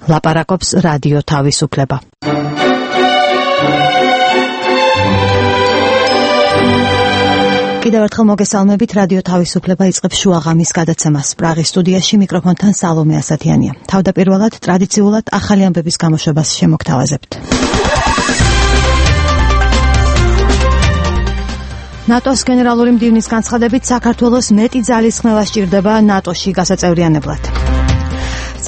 ლაპარაკობს რადიო თავისუფლება. კიდევ ერთხელ მოგესალმებით, რადიო თავისუფლება იწყებს შუაღამის გადაცემას. პრაღის სტუდიაში მიკროფონთან სალომე ასათიანია. თავდაპირველად ტრადიციულად ახალი ამბების გამოშვებას შემოგთავაზებთ. ნატოს გენერალური მდივნის განცხადებით საქართველოს მეტი ძალისხმევა სჭირდება ნატოში გასაწევრიანებლად.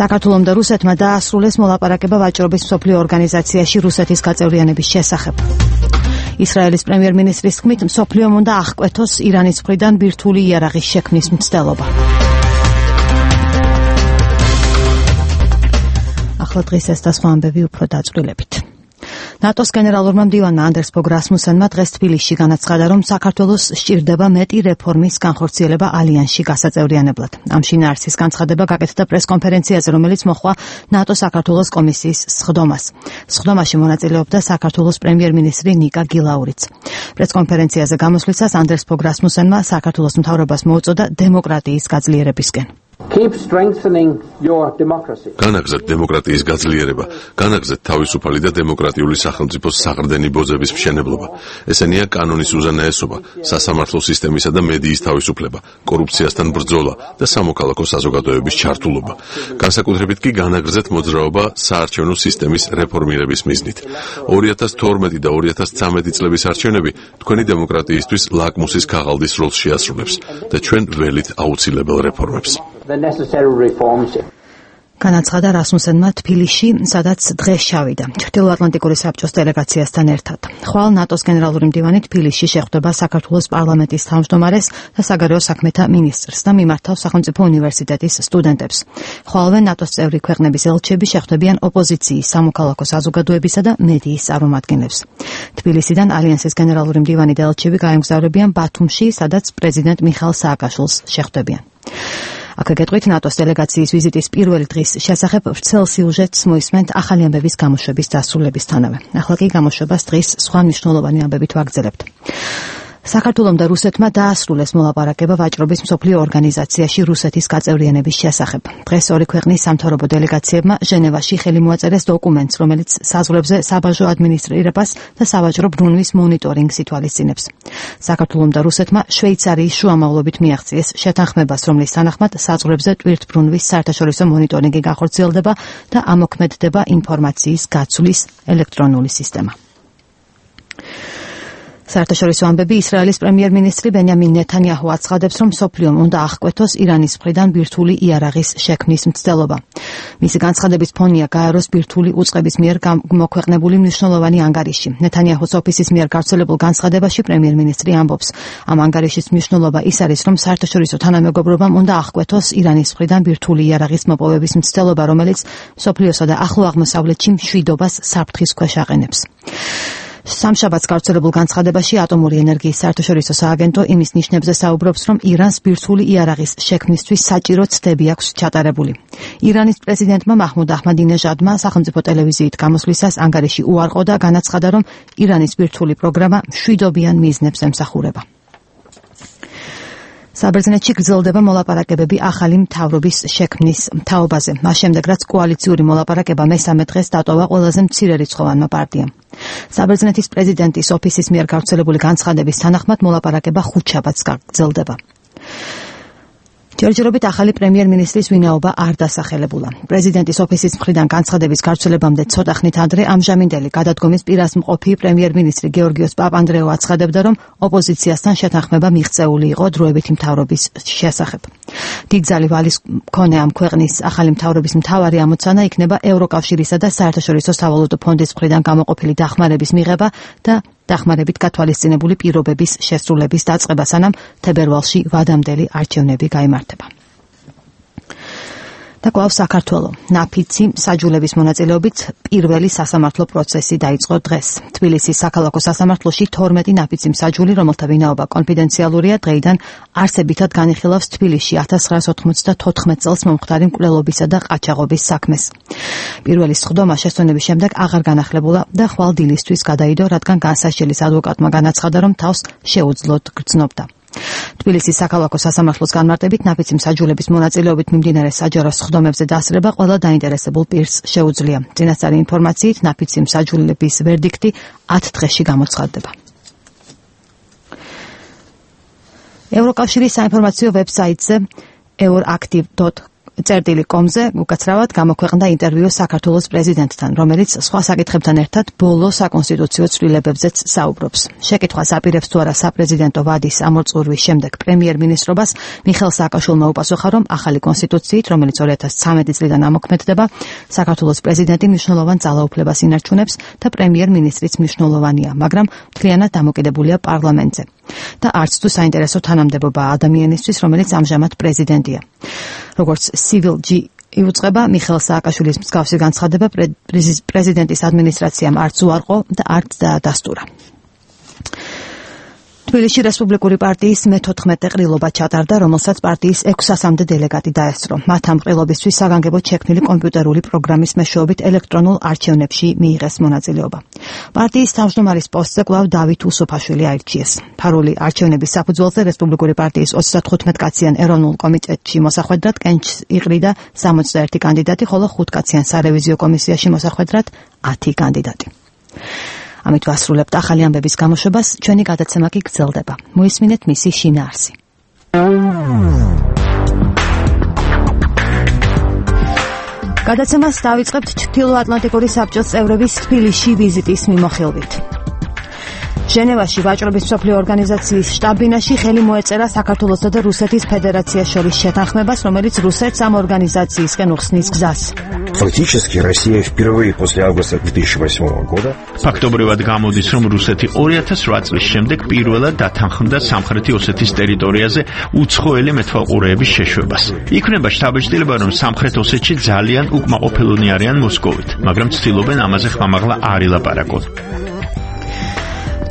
საქართველომ და რუსეთმა დაასრულეს მოლაპარაკება ვაჭრობის მსოფლიო ორგანიზაციაში რუსეთის გაწევრიანების შესახებ. ისრაელის პრემიერ-მინისტრის თქმით, მსოფლიომ უნდა აღკვეთოს ირანის მხრიდან ბირთვული იარაღის შექმნის მცდელობა. ახლა დღეს ეს და სხვა ამბები უფრო დაწვრილებით. ნატოს გენერალურმა მდივანმა ანდერს ფოგ რასმუსენმა დღეს თბილისში განაცხადა, რომ საქართველოს სჭირდება მეტი რეფორმის განხორციელება ალიანსში გასაწევრიანებლად. ამ შინაარსის განცხადება გაკეთდა პრესკონფერენციაზე, რომელიც მოჰყვა ნატო-საქართველოს კომისიის სხდომას. სხდომაში მონაწილეობდა საქართველოს პრემიერ-მინისტრი ნიკა გილაურიც. პრესკონფერენციაზე გამოსვლისას ანდერს ფოგ რასმუსენმა საქართველოს მთავრობას მოუწოდა დემოკრატიის გაძლიერებისკენ. განაგრძეთ დემოკრატიის გაძლიერება, განაგრძეთ თავისუფალი და დემოკრატიული სახელმწიფოს საყრდენი ბოძების მშენებლობა. ესენია კანონის უზენაესობა, სასამართლო სისტემისა და მედიის თავისუფლება, კორუფციასთან ბრძოლა და სამოქალაქო საზოგადოების ჩართულობა. განსაკუთრებით კი განაგრძეთ მოძრაობა საარჩევნო სისტემის რეფორმირების მიზნით. 2012 და 2013 წლების არჩევნები თქვენი დემოკრატიისთვის ლაკმუსის ქაღალდის როლს შეასრულებს და ჩვენ ველით აუცილებელ რეფორმებს. განაცხადა რასმუსენმა თბილისში, სადაც დღეს ჩავიდა ჩრდილოატლანტიკური საბჭოს დელეგაციასთან ერთად. ხვალ ნატოს გენერალური მდივანი თბილისში შეხვდება საქართველოს პარლამენტის თავმჯდომარეს და საგარეო საქმეთა მინისტრს და მიმართავს სახელმწიფო უნივერსიტეტის სტუდენტებს. ხვალვე ნატოს წევრი ქვეყნების ელჩები შეხვდებიან ოპოზიციის, სამოქალაქო საზოგადოებისა და მედიის წარმომადგენლებს. თბილისიდან ალიანსის გენერალური მდივანი და ელჩები გაემგზავრებიან ბათუმში, სადაც პრეზიდენტ მიხაილ სააკაშვილს შეხვდებიან. აქ გეტყვით ნატოს დელეგაციის ვიზიტის პირველი დღის შესახებ ვრცელ სიუჟეტს მოისმენთ ახალი ამბების გამოშვების დასრულებისთანავე. ახლა კი გამოშვებას დღის სხვა მნიშვნელოვანი ამბებით ვაგრძელებთ. საქართველომ და რუსეთმა დაასრულეს მოლაპარაკება ვაჭრობის მსოფლიო ორგანიზაციაში რუსეთის გაწევრიანების შესახებ. დღეს ორი ქვეყნის სამთავრობო დელეგაციებმა ჟენევაში ხელი მოაწერეს დოკუმენტს, რომელიც საზღვრებზე საბაჟო ადმინისტრირებას და სავაჭრო ბრუნვის მონიტორინგს ითვალისწინებს. საქართველომ და რუსეთმა შვეიცარიის შუამავლობით მიაღწიეს შეთანხმებას, რომლის თანახმად საზღვრებზე ტვირთბრუნვის საერთაშორისო მონიტორინგი განხორციელდება და ამოქმედდება ინფორმაციის გაცვლის ელექტრონული სისტემა. საერთაშორისო ამბები. ისრაელის პრემიერ-მინისტრი ბენიამინ ნეთანიაჰუ აცხადებს, რომ მსოფლიომ უნდა აღკვეთოს ირანის მხრიდან ბირთვული იარაღის შექმნის მცდელობა. მისი განცხადების ფონია გაეროს ბირთვული უწყების მიერ მოქვეყნებული მნიშვნელოვანი ანგარიში. ნეთანიაჰუს ოფისის მიერ გავრცელებულ განცხადებაში პრემიერ-მინისტრი ამბობს, ამ ანგარიშის მნიშვნელობა ის არის, რომ საერთაშორისო თანამეგობრობამ უნდა აღკვეთოს ირანის მხრიდან ბირთვული იარაღის მოპოვების მცდელობა, რომელიც მსოფლიოსა და ახლო აღმოსავლეთში მშვიდობას საფრთხის ქვეშ აყენებს. სამშაბათს გავრცელებულ განცხადებაში ატომური ენერგიის საერთაშორისო სააგენტო იმის ნიშნებზე საუბრობს, რომ ირანს ბირთვული იარაღის შექმნისთვის საჭირო ცდები აქვს ჩატარებული. ირანის პრეზიდენტმა მაჰმუდ აჰმადინეჟადმა სახელმწიფო ტელევიზიით გამოსვლისას ანგარიში უარყო და განაცხადა, რომ ირანის ბირთვული პროგრამა მშვიდობიან მიზნებს ემსახურება. საბერძნეთში გრძელდება მოლაპარაკებები ახალი მთავრობის შექმნის თაობაზე. მას შემდეგ, რაც კოალიციური მოლაპარაკება მესამე დღეს დატოვა ყველაზე მცირერიცხოვანმა პარტიამ. საბერძნეთის პრეზიდენტის ოფისის მიერ გავრცელებული განცხადების თანახმად მოლაპარაკება ხუთშაბათს გაგრძელდება. ჯერჯერობით ახალი პრემიერ-მინისტრის ვინაობა არ დასახელებულა. პრეზიდენტის ოფისის მხრიდან განცხადების გავრცელებამდე ცოტა ხნით ადრე ამჟამინდელი გადადგომის პირას მყოფი პრემიერ-მინისტრი გეორგიოს პაპანდრეუ აცხადებდა, რომ ოპოზიციასთან შეთანხმება მიღწეული იყო დროებითი მთავრობის შესახებ. დიდძალი ვალის მქონე ამ ქვეყნის ახალი მთავრობის მთავარი ამოცანა იქნება ევროკავშირისა და საერთაშორისო სავალუტო ფონდის მხრიდან გამოყოფილი დახმარების მიღება და დახმარებით გათვალისწინებული პირობების შესრულების დაწყება, სანამ თებერვალში ვადამდელი არჩევნები გაიმართება. და კვლავ საქართველო. ნაფიცი საჯულების მონაწილეობით პირველი სასამართლო პროცესი დაიწყო დღეს. თბილისის საქალაქო სასამართლოში 12 ნაფიცი მსაჯული, რომელთა ვინაობა კონფიდენციალურია, დღეიდან არსებითად განიხილავს თბილისში 1994 წელს მომხდარი მკვლელობისა და ყაჩაღობის საქმეს. პირველი სხდომა შესწონების შემდეგ აღარ განახლებულა და ხვალ დილისთვის გადაიდო, რადგან განსასჯელის ადვოკატმა განაცხადა, რომ თავს შეუძლოდ გრძნობდა. თბილისის საქალაქო სასამართლოს განმარტებით ნაფიცი მსაჯულების მონაწილეობით მიმდინარე საჯარო სხდომებზე დასწრება ყველა დაინტერესებულ პირს შეუძლია. წინასწარი ინფორმაციით ნაფიცი მსაჯულების ვერდიქტი 10 დღეში გამოცხადდება. ევროკავშირის საინფორმაციო ვებსაიტზე euractiv.com-ზე უკაცრავად გამოქვეყნდა ინტერვიუ საქართველოს პრეზიდენტთან, რომელიც სხვა საკითხებთან ერთად ბოლო საკონსტიტუციო ცვლილებებზეც საუბრობს. შეკითხვას აპირებს თუ არა საპრეზიდენტო ვადის ამორწურვის შემდეგ პრემიერ-მინისტრობას მიხეილ სააკაშვილმა უპასუხა, რომ ახალი კონსტიტუციით, რომელიც 2013 წლიდან ამოქმედდება, საქართველოს პრეზიდენტი მნიშვნელოვან ძალაუფლებას ინარჩუნებს და პრემიერ-მინისტრიც მნიშვნელოვანია, მაგრამ მთლიანად დამოკიდებულია პარლამენტზე. და არც თუ საინტერესო თანამდებობა ადამიანისთვის, რომელიც ამჟამად პრეზიდენტია. როგორც Civil-G იუწყება, მიხეილ სააკაშვილის მსგავსი განცხადება პრეზიდენტის ადმინისტრაციამ არც უარყო და არც დაადასტურა. თბილისში რესპუბლიკური პარტიის მე-14 ყრილობა ჩატარდა, რომელსაც პარტიის 600-მდე დელეგატი დაესწრო. მათ ამ ყრილობისთვის საგანგებოდ შექმნილი კომპიუტერული პროგრამის მეშვეობით ელექტრონულ არჩევნებში მიიღეს მონაწილეობა. პარტიის თავმჯდომარის პოსტზე კვლავ დავით უსუფაშვილი აირჩიეს. ფარული არჩევნების საფუძველზე რესპუბლიკური პარტიის 35 კაციან ეროვნულ კომიტეტში მოსახვედრად კენჭს იყრიდა 61 კანდიდატი, ხოლო 5 კაციან სარევიზიო კომისიაში მოსახვედრად 10 კანდიდატი. ამით ვასრულებთ ახალი ამბების გამოშვებას, ჩვენი გადაცემა კი გრძელდება. მოისმინეთ მისი შინაარსი. გადაცემას დავიწყებთ ჩრდილოატლანტიკური საბჭოს წევრების თბილისში ვიზიტის მიმოხილვით. ჟენევაში ვაჭრობის მსოფლიო ორგანიზაციის შტაბ-ბინაში ხელი მოეწერა საქართველოსა და რუსეთის ფედერაციას შორის შეთანხმებას, რომელიც რუსეთს ამ ორგანიზაციისკენ უხსნის გზას. Фактически Россия впервые после августа 2008 года ფაქტობრივად გამოდის, რომ რუსეთი 2008 წლის შემდეგ პირველად დათანხმდა სამხრეთი ოსეთის ტერიტორიაზე უცხოელი მეთვალყურეების შეშვებას. იქნება შთაბეჭდილება, რომ სამხრეთ ოსეთში ძალიან უკმაყოფილონი არიან მოსკოვით, მაგრამ ცდილობენ ამაზე ხმამაღლა არ ილაპარაკონ.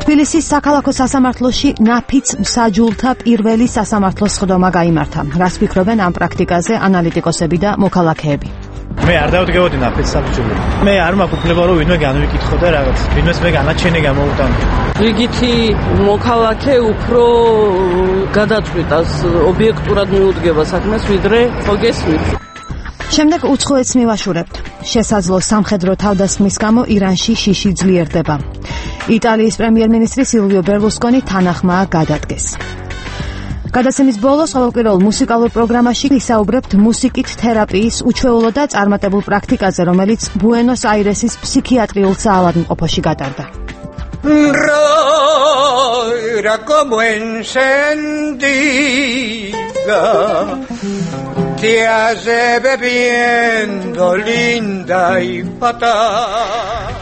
თბილისის საქალაქო სასამართლოში ნაფიც მსაჯულთა პირველი სასამართლოს სხდომა გაიმართა. რას ფიქრობენ ამ პრაქტიკაზე ანალიტიკოსები და მოქალაქეები? მე არ დავდგებოდი ნაფიც საბჭოები. მე არ მაქვს უფლება რომ ვინმე განვიკითხო და რაღაც. ვინმეს მე განაჩენი გამოუტანო. რიგითი მოქალაქე უფრო გადაწყვიტას ობიექტურად მიუდგება საქმეს, ვიდრე ხო გესმით. შემდეგ უცხოეთს მივაშურებთ. შესაძლო სამხედრო თავდასხმის გამო ირანში შიში ძლიერდება. იტალიის პრემიერ-მინისტრი სილვიო ბერლუსკონი თანახმაა გადადგეს. გადაცემის ბოლოს ყოველკვირეულ მუსიკალურ პროგრამაში ვისაუბრებთ მუსიკით თერაპიის უჩვეულო და წარმატებულ პრაქტიკაზე, რომელიც ბუენოს-აირესის ფსიქიატრიულ საავადმყოფოში გატარდა.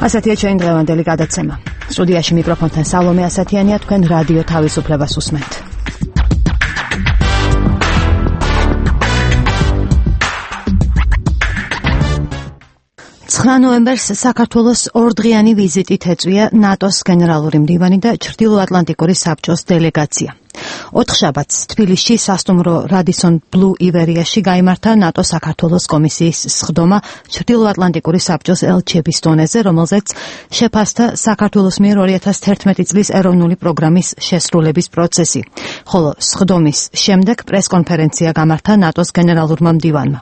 ასეთია ჩვენი დღევანდელი გადაცემა. სტუდიაში მიკროფონთან სალომე ასათიანია, თქვენ რადიო თავისუფლებას უსმენთ. 9 ნოემბერს საქართველოს ორდღიანი ვიზიტით ეწვია ნატოს გენერალური მდივანი და ჩრდილოატლანტიკური საბჭოს დელეგაცია. 4 შაბათს თბილისში სასტუმრო რადისონ ბლუ ივერიაში გაიმართა ნატო საქართველოს კომისიის სხდომა ჩრდილოატლანტიკური საბჭოს ელჩების დონეზე, რომელზეც შეფასდა საქართველოს მიერ 2011 წლის ეროვნული პროგრამის შესრულების პროცესი, ხოლო სხდომის შემდეგ პრესკონფერენცია გამართა ნატოს გენერალურმა მდივანმა.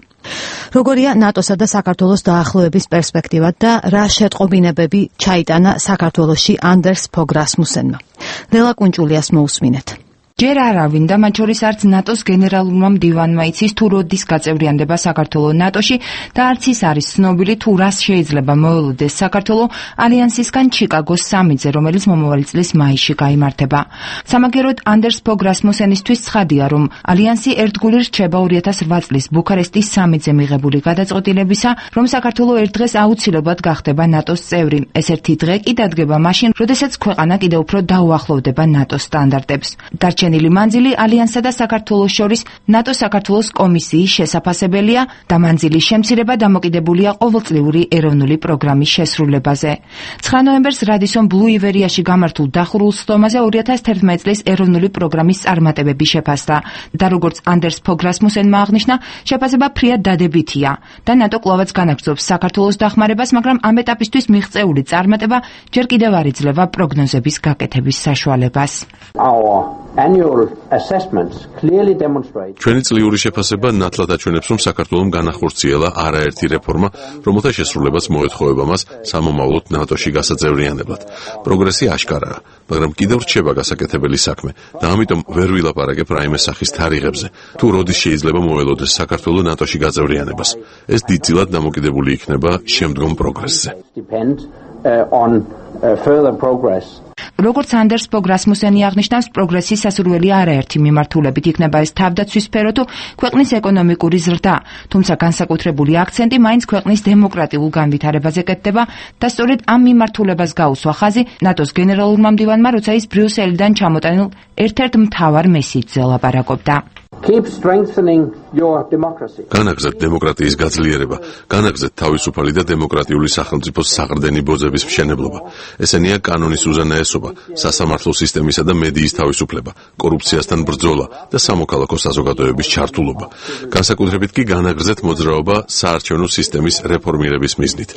როგორია ნატოსა და საქართველოს დაახლოების პერსპექტივა და რა შეტყობინებები ჩაიტანა საქართველოში ანდერს ფოგ რასმუსენმა. ლელა კუნჭულიას მოусმინეთ. ჯერ არავინ და მათ შორის არც ნატოს გენერალურმა მდივანმა იცის თუ როდის გაწევრიანდება საქართველო ნატოში და არც ის არის ცნობილი თუ რას შეიძლება მოელოდეს საქართველო ალიანსისგან ჩიკაგოს სამიტზე, რომელიც მომავალი წლის მაისში გაიმართება. სამაგეროდ ანდერს ფოგ რასმუსენისთვის ცხადია, რომ ალიანსი ერთგული რჩება 2008 წლის ბუქარესტის სამიტზე მიღებული გადაწყვეტილებისა, რომ საქართველო ერთ დღეს აუცილებლად გახდება ნატოს წევრი. ეს ერთი დღე კი დადგება მაშინ, როდესაც ქვეყანა კიდევ უფრო დაუახლოვდება ნატოს სტანდარტებს. დარჩენილი მანძილი ალიანსსა და საქართველოს შორის ნატო-საქართველოს კომისიის შესაფასებელია და მანძილის შემცირება დამოკიდებულია ყოველწლიური ეროვნული პროგრამის შესრულებაზე. 9 ნოემბერს რადისონ ბლუ ივერიაში გამართულ დახურულ სხდომაზე 2011 წლის ეროვნული პროგრამის წარმატებები შეფასდა და როგორც ანდერს ფოგ რასმუსენმა აღნიშნა, შეფასება ფრიად დადებითია და ნატო კვლავაც განაგრძობს საქართველოს დახმარებას, მაგრამ ამ ეტაპისთვის მიღწეული წარმატება ჯერ კიდევ არ იძლევა პროგნოზების გაკეთების საშუალებას. annual assessments clearly demonstrate ჩვენი წლიური შეფასება ნათლად აჩვენებს, რომ საქართველოს განახორციელა არაერთი რეფორმა, რომელთა შესრულებას მოეთხოვება მას სამომავლოდ ნატოში გასაძევრიანებლად. პროგრესი აშკარაა, მაგრამ კიდევ რჩება გასაკეთებელი საქმე და ამიტომ ვერ ვილაპარაკებ რაიმე სახის თარიღებზე. თუ როდის შეიძლება მოველოდეს საქართველოს ნატოში გაწევრიანებას. ეს დიდწილად დამოკიდებული იქნება შემდგომ პროგრესზე. როგორც ანდერს ბოგ რასმუსენი აღნიშნავს, პროგრესის სასურველი არაერთი მიმართულებით იქნება ეს თავდაცვის სფერო თუ ქვეყნის ეკონომიკური ზრდა, თუმცა განსაკუთრებული აქცენტი მაინც ქვეყნის დემოკრატიულ განვითარებაზე კეთდება და სწორედ ამ მიმართულებას გაუსვა ხაზი ნატოს გენერალურმა მდივანმა, როცა ის ბრიუსელიდან ჩამოტანილ ერთ-ერთ მთავარ მესიჯზე ლაპარაკობდა. Keep strengthening your democracy. განაგზეთ დემოკრატიის გაძლიერება, განაგზეთ თავისუფალი და დემოკრატიული სახელმწიფოს საყრდენი ბოძების მშენებლობა. ესენია კანონის უზენაესობა, სასამართლო სისტემისა და მედიის თავისუფლება, კორუფციასთან ბრძოლა და სამოქალაქო საზოგადოების ჩართულობა. განსაკუთრებით კი განაგზეთ მოძრაობა საარჩევნო სისტემის რეფორმირების მიზნით.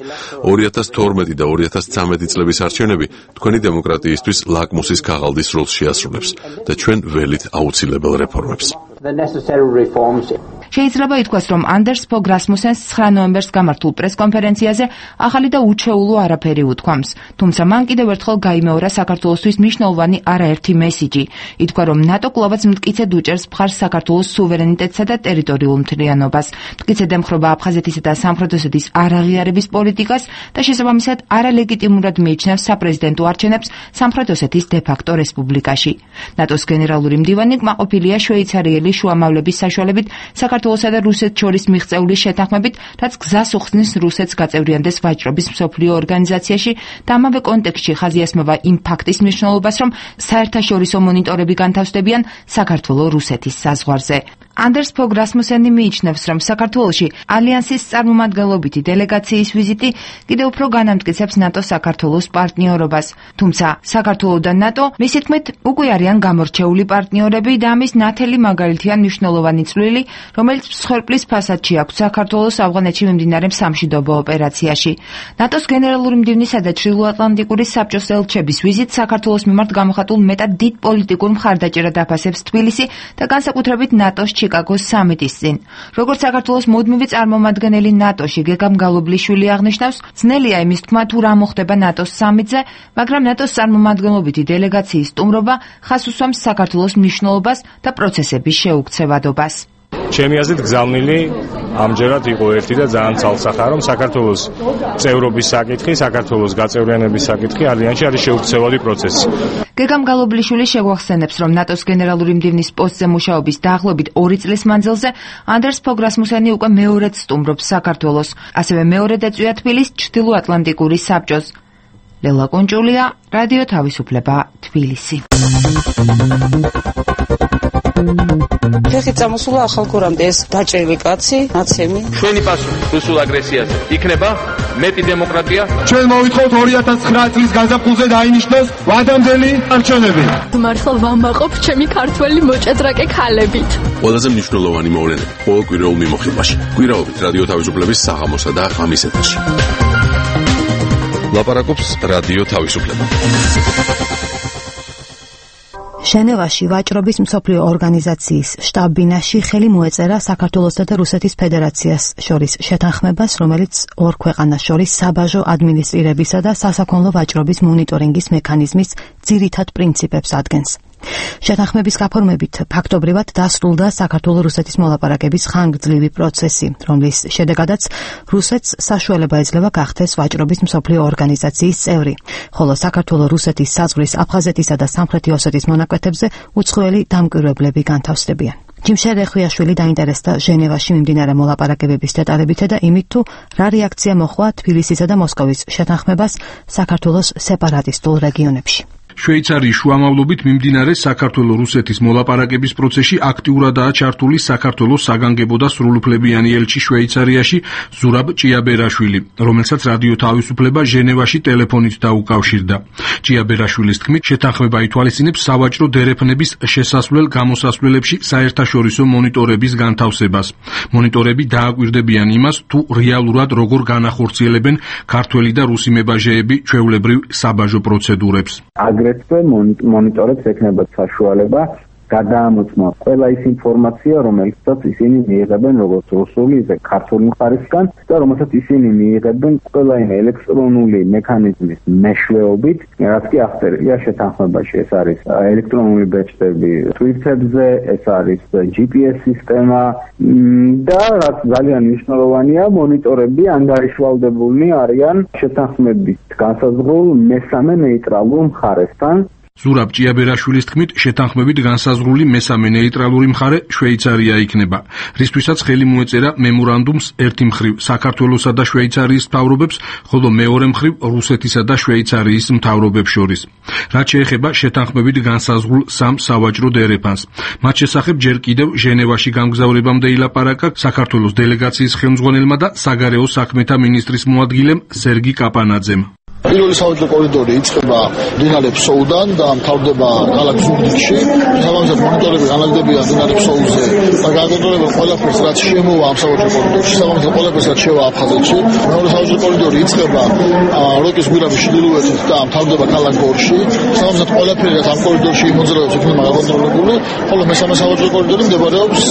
2012 და 2013 წლების არჩევნები თქვენი დემოკრატიისთვის ლაკმუსის ქაღალდის როლს შეასრულებს და ჩვენ ველით აუცილებელ რეფორმებს. The necessary reforms. შეიძლება ითქვას, რომ ანდერს ბოგ რასმუსენს 9 ნოემბერს გამართულ პრესკონფერენციაზე ახალი და უჩვეულო არაფერი უთქვამს, თუმცა მან კიდევ ერთხელ გაიმეორა საქართველოსთვის მნიშვნელოვანი არაერთი მესიჯი. ითქვა, რომ ნატო კვლავაც მტკიცედ უჭერს მხარს საქართველოს სუვერენიტეტსა და ტერიტორიულ მთლიანობას. მტკიცედ ემხრობა აფხაზეთისა და სამხრეთ ოსეთის არაღიარების პოლიტიკას და შესაბამისად არალეგიტიმურად მიიჩნევს საპრეზიდენტო არჩევნებს სამხრეთ ოსეთის დე-ფაქტო რესპუბლიკაში. ნატოს გენერალური მდივანი კმაყოფილია შვეიცარიელი შუამავლების საშუალებით საქართველოსა და რუსეთს შორის მიღწეული შეთანხმებით, რაც გზას უხსნის რუსეთს გაწევრიანდეს ვაჭრობის მსოფლიო ორგანიზაციაში და ამავე კონტექსტში ხაზი ასმევა იმ ფაქტის მნიშვნელობას, რომ საერთაშორისო მონიტორები განთავსდებიან საქართველოს რუსეთის საზღვარზე. ანდერს ბოგ რასმუსენი მიიჩნევს, რომ საქართველოში ალიანსის წარმომადგენლობითი დელეგაციის ვიზიტი კიდევ უფრო განამტკიცებს ნატო-საქართველოს პარტნიორობას. თუმცა საქართველო და ნატო, მისი თქმით, უკვე არიან გამორჩეული პარტნიორები და ამის ნათელი მაგალითია მნიშვნელოვანი წვლილი, რომელიც მსხვერპლის ფასადში აქვს საქართველოს ავღანეთში მიმდინარე სამშვიდობო ოპერაციაში. ნატოს გენერალური მდივნისა და ჩრდილოატლანტიკური საბჭოს ელჩების ვიზიტ საქართველოს მიმართ გამოხატულ მეტად დიდ პოლიტიკურ მხარდაჭერად აფასებს თბილისი და განსაკუთრებით ნატოს ჩიკაგოს სამიტის წინ. როგორც საქართველოს მუდმივი წარმომადგენელი ნატოში გეგამ გალობლიშვილი აღნიშნავს, ძნელია იმის თქმა თუ რა მოხდება ნატოს სამიტზე, მაგრამ ნატოს წარმომადგენლობითი დელეგაციის სტუმრობა ხაზს უსვამს საქართველოს მნიშვნელობას და პროცესების შეუქცევადობას. ჩემი აზრით გზავნილი ამჯერად იყო ერთი და ძალიან ცალსახაა, რომ საქართველოს წევრობის საკითხი, საქართველოს გაწევრიანების საკითხი ალიანსში არის შეუქცევადი პროცესი. გეგამ გალობლიშვილი შეგვახსენებს, რომ ნატოს გენერალური მდივნის პოსტზე მუშაობის დაახლოებით 2 წლის მანძილზე ანდერს ბოგ რასმუსენი უკვე მეორედ სტუმრობს საქართველოს, ასევე მეორედ ეწვია თბილისს ჩრდილოატლანტიკური საბჭოს. ლელა კონჭულია, რადიო თავისუფლება, თბილისი. ფეხით წამოსულა ახალგორამდე ეს დაჭრილი კაცი, ნაცემი. ჩვენი პასუხი რუსულ აგრესიაზე იქნება მეტი დემოკრატია. ჩვენ მოვითხოვთ 2009 წლის გაზაფხულზე დაინიშნოს ვადამდელი არჩევნები. მართლა ვამაყობ ჩემი ქართველი მოჭადრაკე ქალებით. ყველაზე მნიშვნელოვანი მოვლენები ყოველ კვირაულ მიმოხილვაში. კვირაობით რადიო თავისუფლების საღამოსა და ღამის ეთერში. ლაპარაკობს რადიო თავისუფლება. ჟენევაში ვაჭრობის მსოფლიო ორგანიზაციის შტაბ-ბინაში ხელი მოეწერა საქართველოსა და რუსეთის ფედერაციას შორის შეთანხმებას, რომელიც ორ ქვეყანას შორის საბაჟო ადმინისტრირებისა და სასაქონლო ვაჭრობის მონიტორინგის მექანიზმის ძირითად პრინციპებს ადგენს. შეთანხმების გაფორმებით ფაქტობრივად დასრულდა საქართველო-რუსეთის მოლაპარაკების ხანგრძლივი პროცესი, რომლის შედეგადაც რუსეთს საშუალება ეძლევა გახდეს ვაჭრობის მსოფლიო ორგანიზაციის წევრი, ხოლო საქართველო-რუსეთის საზღვრის აფხაზეთისა და სამხრეთი ოსეთის მონაკვეთებზე უცხოელი დამკვირვებლები განთავსდებიან. ჯიმშერ ეხვიაშვილი დაინტერესდა ჟენევაში მიმდინარე მოლაპარაკებების დეტალებითა და იმით, თუ რა რეაქცია მოჰყვა თბილისისა და მოსკოვის შეთანხმებას საქართველოს სეპარატისტულ რეგიონებში. შვეიცარიის შუამავლობით მიმდინარე საქართველო-რუსეთის მოლაპარაკების პროცესში აქტიურადაა ჩართული საქართველოს საგანგებო და სრულუფლებიანი ელჩი შვეიცარიაში ზურაბ ჭიაბერაშვილი, რომელსაც რადიო თავისუფლება ჟენევაში ტელეფონით დაუკავშირდა. ჭიაბერაშვილის თქმით, შეთანხმება ითვალისწინებს სავაჭრო დერეფნების შესასვლელ-გამოსასვლელებში საერთაშორისო მონიტორების განთავსებას. მონიტორები დააკვირდებიან იმას, თუ რეალურად როგორ განახორციელებენ ქართველი და რუსი მებაჟეები ჩვეულებრივ საბაჟო პროცედურებს. აგრეთვე მონიტორებს ექნება საშუალება გადაამოწმა ყველა ის ინფორმაცია, რომელსაც ისინი მიიღებენ როგორც რუსული, ისე ქართული მხარისგან და რომელსაც ისინი მიიღებენ ყველაიმე ელექტრონული მექანიზმის მეშვეობით, რაც კი აღწერილია შეთანხმებაში. ეს არის ელექტრონული ბეჭდები Twitter-ზე, ეს არის GPS სისტემა და რაც ძალიან მნიშვნელოვანია, მონიტორები ანგარიშვალდებულნი არიან შეთანხმებით განსაზღვრულ მესამე ნეიტრალურ მხარესთან. ზურაბ ჭიაბერაშვილის თქმით, შეთანხმებით განსაზღვრული მესამე ნეიტრალური მხარე შვეიცარია იქნება, რისთვისაც ხელი მოეწერა მემორანდუმს ერთი მხრივ საქართველოსა და შვეიცარიის მთავრობებს, ხოლო მეორე მხრივ რუსეთისა და შვეიცარიის მთავრობებს შორის. რაც შეეხება შეთანხმებით განსაზღვრულ სამ სავაჭრო დერეფანს. მათ შესახებ ჯერ კიდევ ჟენევაში გამგზავრებამდე ილაპარაკა საქართველოს დელეგაციის ხელმძღვანელმა და საგარეო საქმეთა მინისტრის მოადგილემ სერგი კაპანაძემ. პირველი სავაჭრო კორიდორი იწყება მდინარე ფსოუდან და მთავრდება ქალაქ ზუგდიდში. შესაბამისად მონიტორები განაგდებიან მდინარე ფსოუზე და გააკონტროლებენ ყველაფერს, რაც შემოვა ამ სავაჭრო კორიდორში. შესაბამისად ყველაფერს, რაც შევა აფხაზეთში. მეორე სავაჭრო კორიდორი იწყება როკის გვირაბის ჩრდილოეთით და მთავრდება ქალაქ გორში. შესაბამისად ყველაფერი, რაც ამ კორიდორში იმოძრაობს, იქნება გაკონტროლებული. ხოლო მესამე სავაჭრო კორიდორი მდებარეობს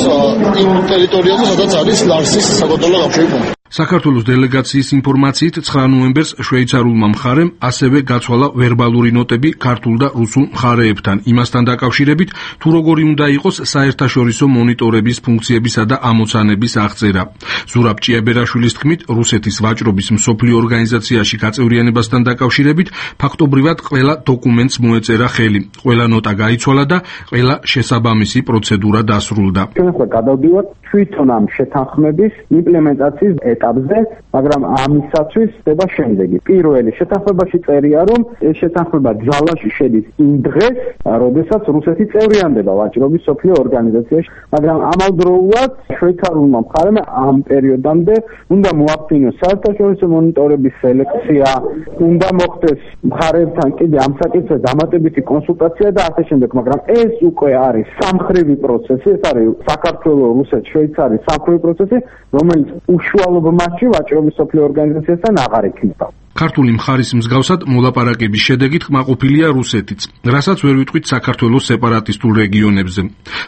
იმ ტერიტორიაზე, სადაც არის ლარსის საკონტროლო გამშვები პუნქტი. საქართველოს დელეგაციის ინფორმაციით 9 ნოემბერს შვეიცარულმა მხარემ ასევე გაცვალა ვერბალური ნოტები ქართულ და რუსულ მხარეებთან, იმასთან დაკავშირებით, თუ როგორი უნდა იყოს საერთაშორისო მონიტორების ფუნქციებისა და ამოცანების აღწერა. ზურაბ ჭიაბერაშვილის თქმით, რუსეთის ვაჭრობის მსოფლიო ორგანიზაციაში გაწევრიანებასთან დაკავშირებით, ფაქტობრივად ყველა დოკუმენტს მოეწერა ხელი, ყველა ნოტა გაიცვალა და ყველა შესაბამისი პროცედურა დასრულდა. გადავდივართ თვითონ ამ შეთანხმების იმპლემენტაციის ეტაპზე, მაგრამ ამისათვის ხდება შემდეგი. პირველი, შეთანხმებაში წერია, რომ ეს შეთანხმება ძალაში შედის იმ დღეს, როდესაც რუსეთი წევრიანდება ვაჭრობის მსოფლიო ორგანიზაციაში, მაგრამ ამავდროულად შვეიცარულმა მხარემ ამ პერიოდამდე უნდა მოახდინოს საერთაშორისო მონიტორების სელექცია, უნდა მოხდეს მხარეებთან კიდე ამ საკითხზე დამატებითი კონსულტაცია და ასე შემდეგ, მაგრამ ეს უკვე არის სამხრივი პროცესი, ეს არის საქართველოს, რუსეთის, შვეიცარიის სამხრივი პროცესი, რომელიც უშუალო მასში ვაჭრობის მსოფლიო ორგანიზაციასთან აღარ იქნება. ქართული მხარის მსგავსად მოლაპარაკების შედეგით კმაყოფილია რუსეთიც, რასაც ვერ ვიტყვით საქართველოს სეპარატისტულ რეგიონებზე.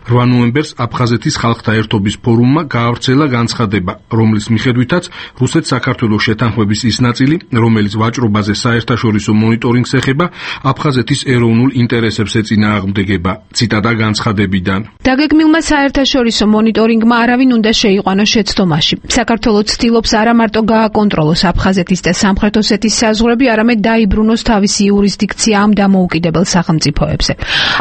8 ნოემბერს აფხაზეთის ხალხთა ერთობის ფორუმმა გაავრცელა განცხადება, რომლის მიხედვითაც რუსეთ-საქართველოს შეთანხმების ის ნაწილი, რომელიც ვაჭრობაზე საერთაშორისო მონიტორინგს ეხება, აფხაზეთის ეროვნულ ინტერესებს ეწინააღმდეგება. ციტატა განცხადებიდან. დაგეგმილმა საერთაშორისო მონიტორინგმა არავინ უნდა შეიყვანოს შეცდომაში. საქართველოს ცდილობს არა მარტო გააკონტროლოს აფხაზეთის და სამხრეთ ოსეთის საზღვრები, არამედ დაიბრუნოს თავისი იურისდიქცია ამ დამოუკიდებელ სახელმწიფოებზე.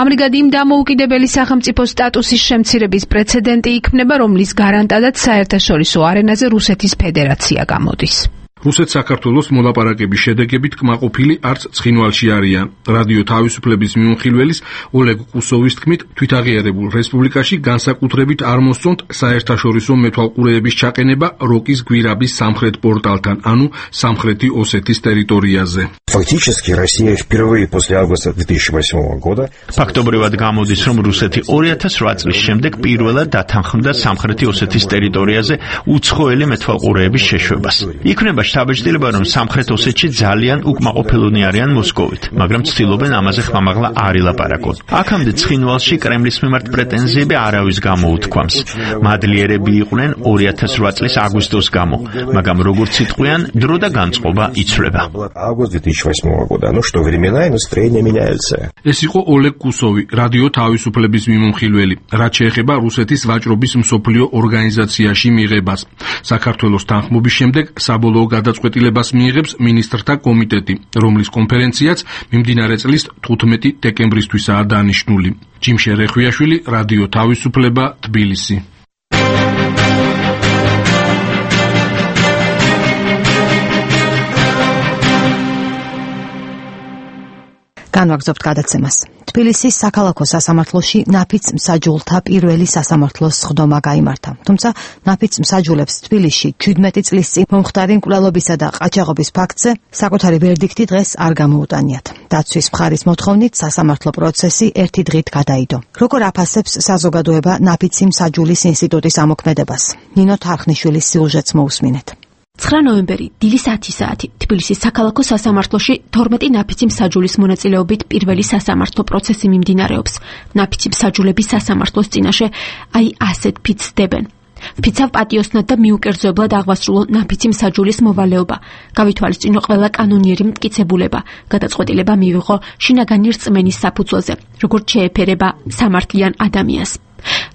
ამრიგად იმ დამოუკიდებელი სახელმწიფოს სტატუსის შემცირების პრეცედენტი იქნება, რომლის გარანტადაც საერთაშორისო არენაზე რუსეთის ფედერაცია გამოდის. რუსეთ-საქართველოს მოლაპარაკების შედეგებით კმაყოფილი არც ცხინვალში არიან. რადიო თავისუფლების მიუნხილველის ოლეგ კუსოვის თქმით, თვითაღიარებულ რესპუბლიკაში განსაკუთრებით არ მოსწონთ საერთაშორისო მეთვალყურეების ჩაყენება როკის გვირაბის სამხრეთ პორტალთან, ანუ სამხრეთი ოსეთის ტერიტორიაზე. Фактически Россия впервые после августа 2008 года ფაქტობრივად გამოდის, რომ რუსეთი 2008 წლის შემდეგ პირველად დათანხმდა სამხრეთი ოსეთის ტერიტორიაზე უცხოელი მეთვალყურეების შეშვებას. იქნება შთაბეჭდილება, რომ სამხრეთ ოსეთში ძალიან უკმაყოფილონი არიან მოსკოვით, მაგრამ ცდილობენ ამაზე ხმამაღლა არ ილაპარაკონ. აქამდე ცხინვალში კრემლის მიმართ პრეტენზიები არავის გამოუთქვამს. მადლიერები იყვნენ 2008 წლის აგვისტოს გამო, მაგრამ როგორც იტყვიან, დრო და განწყობა იცვლება. август 2008 года. Ну что, времена и настроения меняются. ეს იყო ოლეგ კუსოვი, რადიო თავისუფლების მიმომხილველი, რაც შეეხება რუსეთის ვაჭრობის მსოფლიო ორგანიზაციაში მიღებას. საქართველოს თანხმობის შემდეგ საბოლოო გადაწყვეტილებას მიიღებს მინისტრთა კომიტეტი, რომლის კონფერენციაც მიმდინარე წლის 15 დეკემბრისთვისაა დანიშნული. ჯიმშე რეხვიაშვილი, რადიო თავისუფლება, თბილისი. განვაგრძობთ გადაცემას. თბილისის საქალაქო სასამართლოში ნაფიც მსაჯულთა პირველი სასამართლოს სხდომა გაიმართა. თუმცა ნაფიც მსაჯულებს თბილისში 17 წლის წინ მომხდარი მკვლელობისა და ყაჩაღობის ფაქტზე საკუთარი ვერდიქტი დღეს არ გამოუტანიათ. დაცვის მხარის მოთხოვნით სასამართლო პროცესი ერთი დღით გადაიდო. როგორ აფასებს საზოგადოება ნაფიცი მსაჯულის ინსტიტუტის ამოქმედებას? ნინო თარხნიშვილის სიუჟეტს მოусმინეთ. 9 ნოემბერი, დილის 10 საათი, თბილისის საქალაქო სასამართლოში 12 ნაფიცი მსაჯულის მონაწილეობით პირველი სასამართლო პროცესი მიმდინარეობს. ნაფიცი მსაჯულები სასამართლოს წინაშე აი ასეთ ფიცს დებენ. ვფიცავ პატიოსნად და მიუკერძოებლად აღვასრულო ნაფიცი მსაჯულის მოვალეობა. გავითვალისწინო ყველა კანონიერი მტკიცებულება. გადაწყვეტილება მივიღო შინაგანი რწმენის საფუძველზე, როგორც შეეფერება სამართლიან ადამიანს.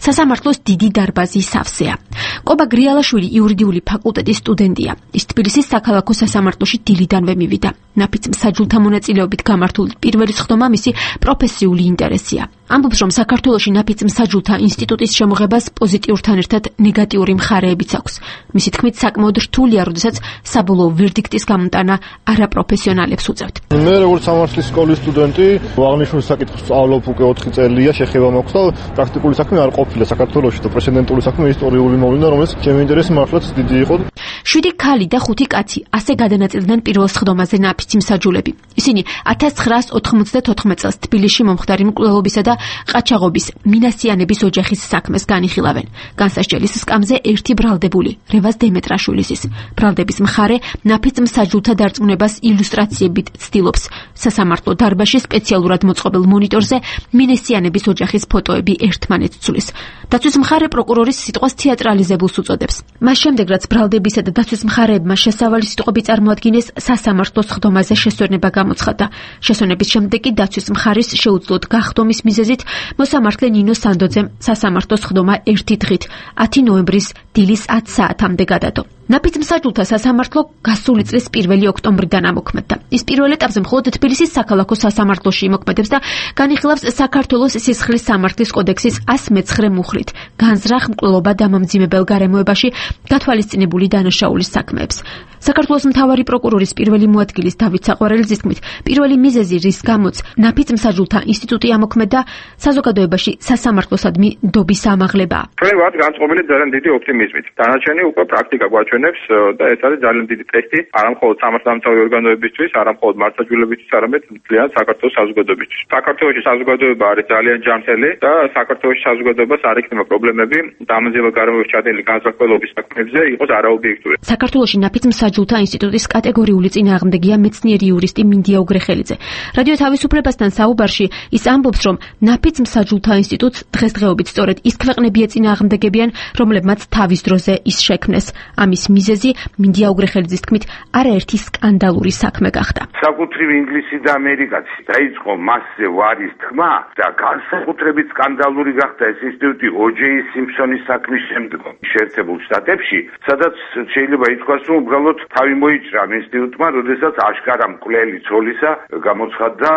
სასამართლოს დიდი დარბაზი სავსეა. კობა გრიალაშვილი იურიდიული ფაკულტეტის სტუდენტია. ის თბილისის საქალაქო სასამართლოში დილიდანვე მივიდა. ნაფიც მსაჯულთა მონაწილეობით გამართული პირველი სხდომა მისი პროფესიული ინტერესია. ამბობს, რომ საქართველოში ნაფიც მსაჯულთა ინსტიტუტის შემოღებას პოზიტიურთან ერთად ნეგატიური მხარეებიც აქვს. მისი თქმით, საკმაოდ რთულია, როდესაც საბოლოო ვერდიქტის გამოტანა არაპროფესიონალებს უწევთ. მე როგორც სამართლის სკოლის სტუდენტი, აღნიშნულ საკითხს სწავლობ უკვე 4 წელია, შეხება მაქვს და პრაქტიკული საქმე არ ყოფილა საქართველოში და პრეცედენტული საქმე ისტორიული მოვლენა, რომელიც ჩემი ინტერესი მართლაც დიდი იყო. 7 ქალი და 5 კაცი ასე გადანაწილდნენ პირველ სხდომაზე ნაფიცი მსაჯულები. ისინი 1994 წელს თბილისში მომხდარი მკვლელობისა და ყაჩაღობის მინასიანების ოჯახის საქმეს განიხილავენ. განსასჯელის სკამზე ერთი ბრალდებული, რევაზ დემეტრაშვილის. ბრალდების მხარე ნაფიც მსაჯულთა დარწმუნებას ილუსტრაციებით ცდილობს. სასამართლო დარბაზში სპეციალურად მოწყობილ მონიტორზე მინასიანების ოჯახის ფოტოები ერთმანეთს ცვლის. დაცვის მხარე პროკურორის სიტყვას თეატრალიზებულს უწოდებს. მას შემდეგ, რაც ბრალდებისა და დაცვის მხარეებმა შესავალი სიტყვები წარმოადგინეს, სასამართლოს სხდომაზე შესვენება გამოცხადდა. შესვენების შემდეგ კი დაცვის მხარის შეუძლოდ გახდომის მიზეზით მოსამართლე ნინო სანდოძემ სასამართლოს სხდომა ერთი დღით 10 ნოემბრის დილის 10 საათამდე გადადო. ნაფიც მსაჯულთა სასამართლო გასული წლის 1 ოქტომბრიდან ამოქმედდა. ის პირველ ეტაპზე მხოლოდ თბილისის საქალაქო სასამართლოში იმოქმედებს და განიხილავს საქართველოს სისხლის სამართლის კოდექსის 109 მუხლით განზრახ მკვლელობა დამამძიმებელ გარემოებაში გათვალისწინებული დანაშაულის საქმეებს. საქართველოს მთავარი პროკურორის პირველი მოადგილის დავით საყვარელიძის თქმით, პირველი მიზეზი, რის გამოც ნაფიც მსაჯულთა ინსტიტუტი ამოქმედდა, საზოგადოებაში სასამართლოსადმი ნდობის ამაღლებაა. ჩვენ ვართ განწყობილი ძალიან დიდი ოპტიმიზმით. დანარჩენი უკვე პრაქტიკა გვაჩვენებს და ეს არის ძალიან დიდი ტესტი არა მხოლოდ სამართალდამცავი ორგანოებისთვის, არა მხოლოდ მართლმსაჯულებისთვის, არამედ მთლიან საქართველოს საზოგადოებისთვის. საქართველოში საზოგადოება არის ძალიან ჯანმრთელი და საქართველოში საზოგადოებას არ ექნება პრობლემები დამამძიმებელ გარემოებში ჩადენილი განზრახველობის საქმეებზე იყოს არაობიექტური. საქართველოში ნაფიც მსაჯულთა ინსტიტუტის კატეგორიული წინააღმდეგია მეცნიერი იურისტი მინდია უგრეხელიძე. რადიო თავისუფლებასთან საუბარში ის ამბობს, რომ ნაფიც მსაჯულთა ინსტიტუტს დღესდღეობით სწორედ ის ქვეყნები ეწინააღმდეგებიან, რომლებმაც თავის დროზე ის შექმნეს. ამის მიზეზი მინდია უგრეხელიძის თქმით არაერთი სკანდალური საქმე გახდა. საკუთრივ ინგლისი და ამერიკაც დაიწყო მასზე ვარის თქმა და განსაკუთრებით სკანდალური გახდა ეს ინსტიტუტი O.J. Simpson-ის საქმის შემდგომ შეერთებულ შტატებში, სადაც შეიძლება ითქვას, რომ უბრალოდ თავი მოიჭრა ინსტიტუტმა, როდესაც აშკარა მკვლელი ცოლისა გამოცხადდა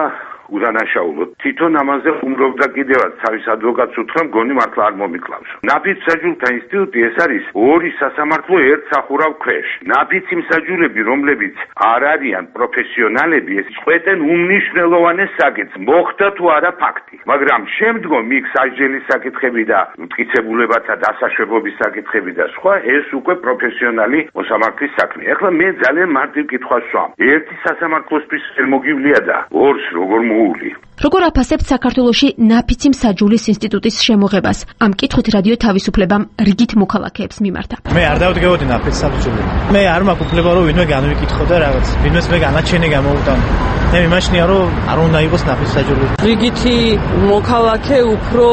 უდანაშაულოდ. თვითონ ამაზე უმრობდა კიდევაც თავის ადვოკატს უთხრა, მგონი მართლა არ მომიკლავს. ნაფიც მსაჯულთა ინსტიტუტი ეს არის ორი სასამართლო ერთ სახურავ ქვეშ. ნაფიცი მსაჯულები, რომლებიც არ არიან პროფესიონალები, ეს წყვეტენ უმნიშვნელოვანეს საკითხს, მოხდა თუ არა ფაქტი. მაგრამ შემდგომ იქ სასჯელის საკითხები და მტკიცებულებათა დასაშვებობის საკითხები და სხვა, ეს უკვე პროფესიონალი მოსამართლის საქმე. ეხლა მე ძალიან მარტივ კითხვას ვსვამ. ერთი სასამართლოსთვის ვერ მოგივლია და ორს როგორ როგორ აფასებთ საქართველოში ნაფიცი მსაჯულის ინსტიტუტის შემოღებას? ამ კითხვით რადიო თავისუფლებამ რიგით მოქალაქეებს მიმართა. მე არ დავდგებოდი ნაფიც მსაჯული. მე არ მაქვს უფლება რომ ვინმე განვიკითხო და რაღაც ვინმეს მე განაჩენი გამოვუტანო. მე მიმაჩნია რომ არ უნდა იყოს ნაფიც მსაჯული. რიგითი მოქალაქე უფრო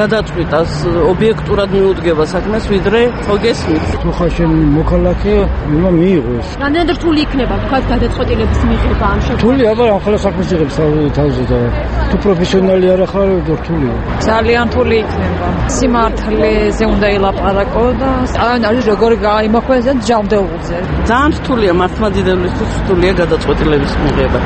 გადაწყვიტას ობიექტურად მიუდგება საქმეს, ვიდრე ხო გესმით. თუ ხარ შენ მოქალაქე, უნდა მიიღოს. რამდენად რთული იქნება თქვა გადაწყვეტილების მიღება ამ შემთხვევაში? რთული, აბა ახლა საქმეს იღებს თავზე და თუ პროფესიონალი არ ახარ რთულია. ძალიან რთული იქნება. სიმართლეზე უნდა ელაპარაკო და არის როგორი გაიმოქმედოს ჯანმრთელობაზე. ძალიან რთულია მართლმადიდებლისთვის რთულია გადაწყვეტილების მიღება.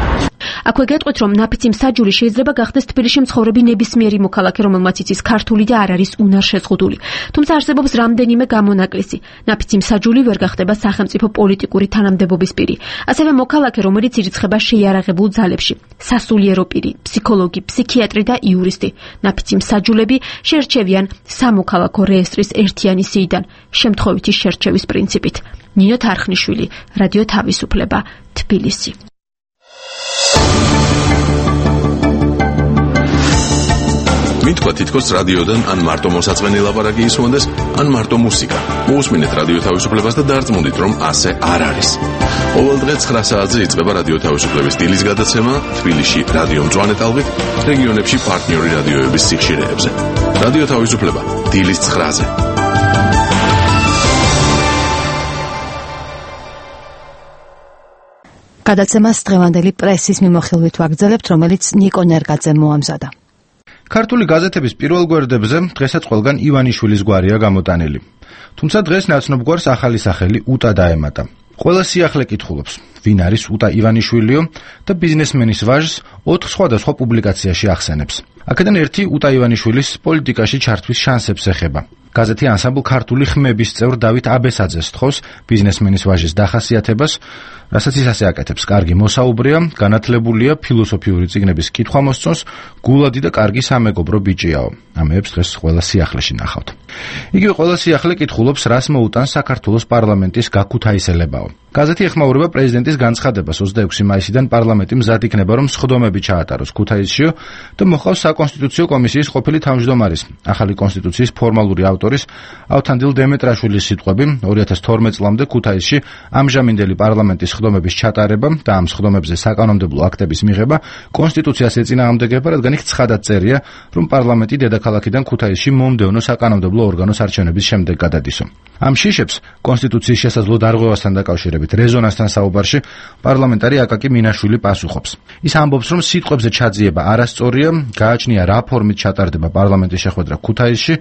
აქვე გეტყვით, რომ ნაფიცი მსაჯული შეიძლება გახდეს თბილისში მცხოვრები ნებისმიერი მოქალაქე, რომელმაც იცის ქართული და არ არის უნარშეზღუდული. თუმცა არსებობს რამდენიმე გამონაკლისი. ნაფიცი მსაჯული ვერ გახდება სახელმწიფო პოლიტიკური თანამდებობის პირი. ასევე მოქალაქე, რომელიც ირიცხება შეიარაღებულ ძალებში. სასულიერო პირი, ფსიქოლოგი, ფსიქიატრი და იურისტი. ნაფიცი მსაჯულები შეერჩევიან სამოქალაქო რეესტრის ერთიანი სიიდან, შემთხვევითი შერჩევის პრინციპით. ნინო თარხნიშვილი, რადიო თავისუფლება, თბილისი. მითქვა თითქოს რადიოდან ან მარტო მოსაწყენი ლაპარაკი ისმონდეს, ან მარტო მუსიკა. მოусმინეთ რადიო თავისუფლებას და დარწმუნდით, რომ ასე არ არის. ყოველდღე 9 საათზე იწყება რადიო თავისუფლების დილის გადაცემა თბილისში რადიო მწვანე ტალღით, რეგიონებში პარტნიორი რადიოების სიხშირეებზე. რადიო თავისუფლება დილის 9-ზე. გადაცემას დღევანდელი პრესის მიმოხილვით ვაგრძელებთ, რომელიც ნიკო ნერგაძემ მოამზადა. ქართული გაზეთების პირველ გვერდებზე დღესაც ყველგან ივანიშვილის გვარია გამოტანილი. თუმცა დღეს ნაცნობ გვარს ახალი სახელი უტა დაემატა. ყველა სიახლე კითხულობს, ვინ არის უტა ივანიშვილიო და ბიზნესმენის ვაჟს 4 სხვადასხვა პუბლიკაციაში ახსენებს. აქედან ერთი უტა ივანიშვილის პოლიტიკაში ჩართვის შანსებს ეხება. გაზეთი ანსამბლ ქართული ხმების წევრ დავით აბესაძეს თხოვს ბიზნესმენის ვაჟის დახასიათებას, რასაც ის ასე აკეთებს: კარგი მოსაუბრეა, განათლებულია, ფილოსოფიური წიგნების კითხვა მოსწონს, გულადი და კარგი სამეგობრო ბიჭიაო. ამებს დღეს ყველა სიახლეში ნახავთ. იგივე ყველა სიახლე კითხულობს, რას მოუტანს საქართველოს პარლამენტის გაქუთაისელებაო. გაზეთი ეხმაურება პრეზიდენტის განცხადებას 26 მაისიდან პარლამენტი მზად იქნება, რომ სხდომები ჩაატაროს ქუთაისშიო და მოხავს საკონსტიტუციო კომისიის ყოფილი თავმჯდომარის, ახალი კონსტიტუციის ფორმალური ავტორის ავთანდილ დემეტრაშვილის სიტყვები 2012 წლამდე ქუთაისში ამჟამინდელი პარლამენტის სხდომების ჩატარება და ამ სხდომებზე საკანონმდებლო აქტების მიღება კონსტიტუციას ეწინააღმდეგება, რადგან იქ ცხადად წერია, რომ პარლამენტი დედაქალაქიდან ქუთაისში მომდევნო საკანონმდებლო ორგანოს არჩევნების შემდეგ გადადისო. ამ შიშებს კონსტიტუციის შესაძლო დარღვევასთან დაკავშირებით რეზონანსთან საუბარში პარლამენტარი აკაკი მინაშვილი პასუხობს. ის ამბობს, რომ სიტყვებზე ჩაძიება არასწორია, გააჩნია რა ფორმით ჩატარდება პარლამენტის შეხვედრა ქუთაისში,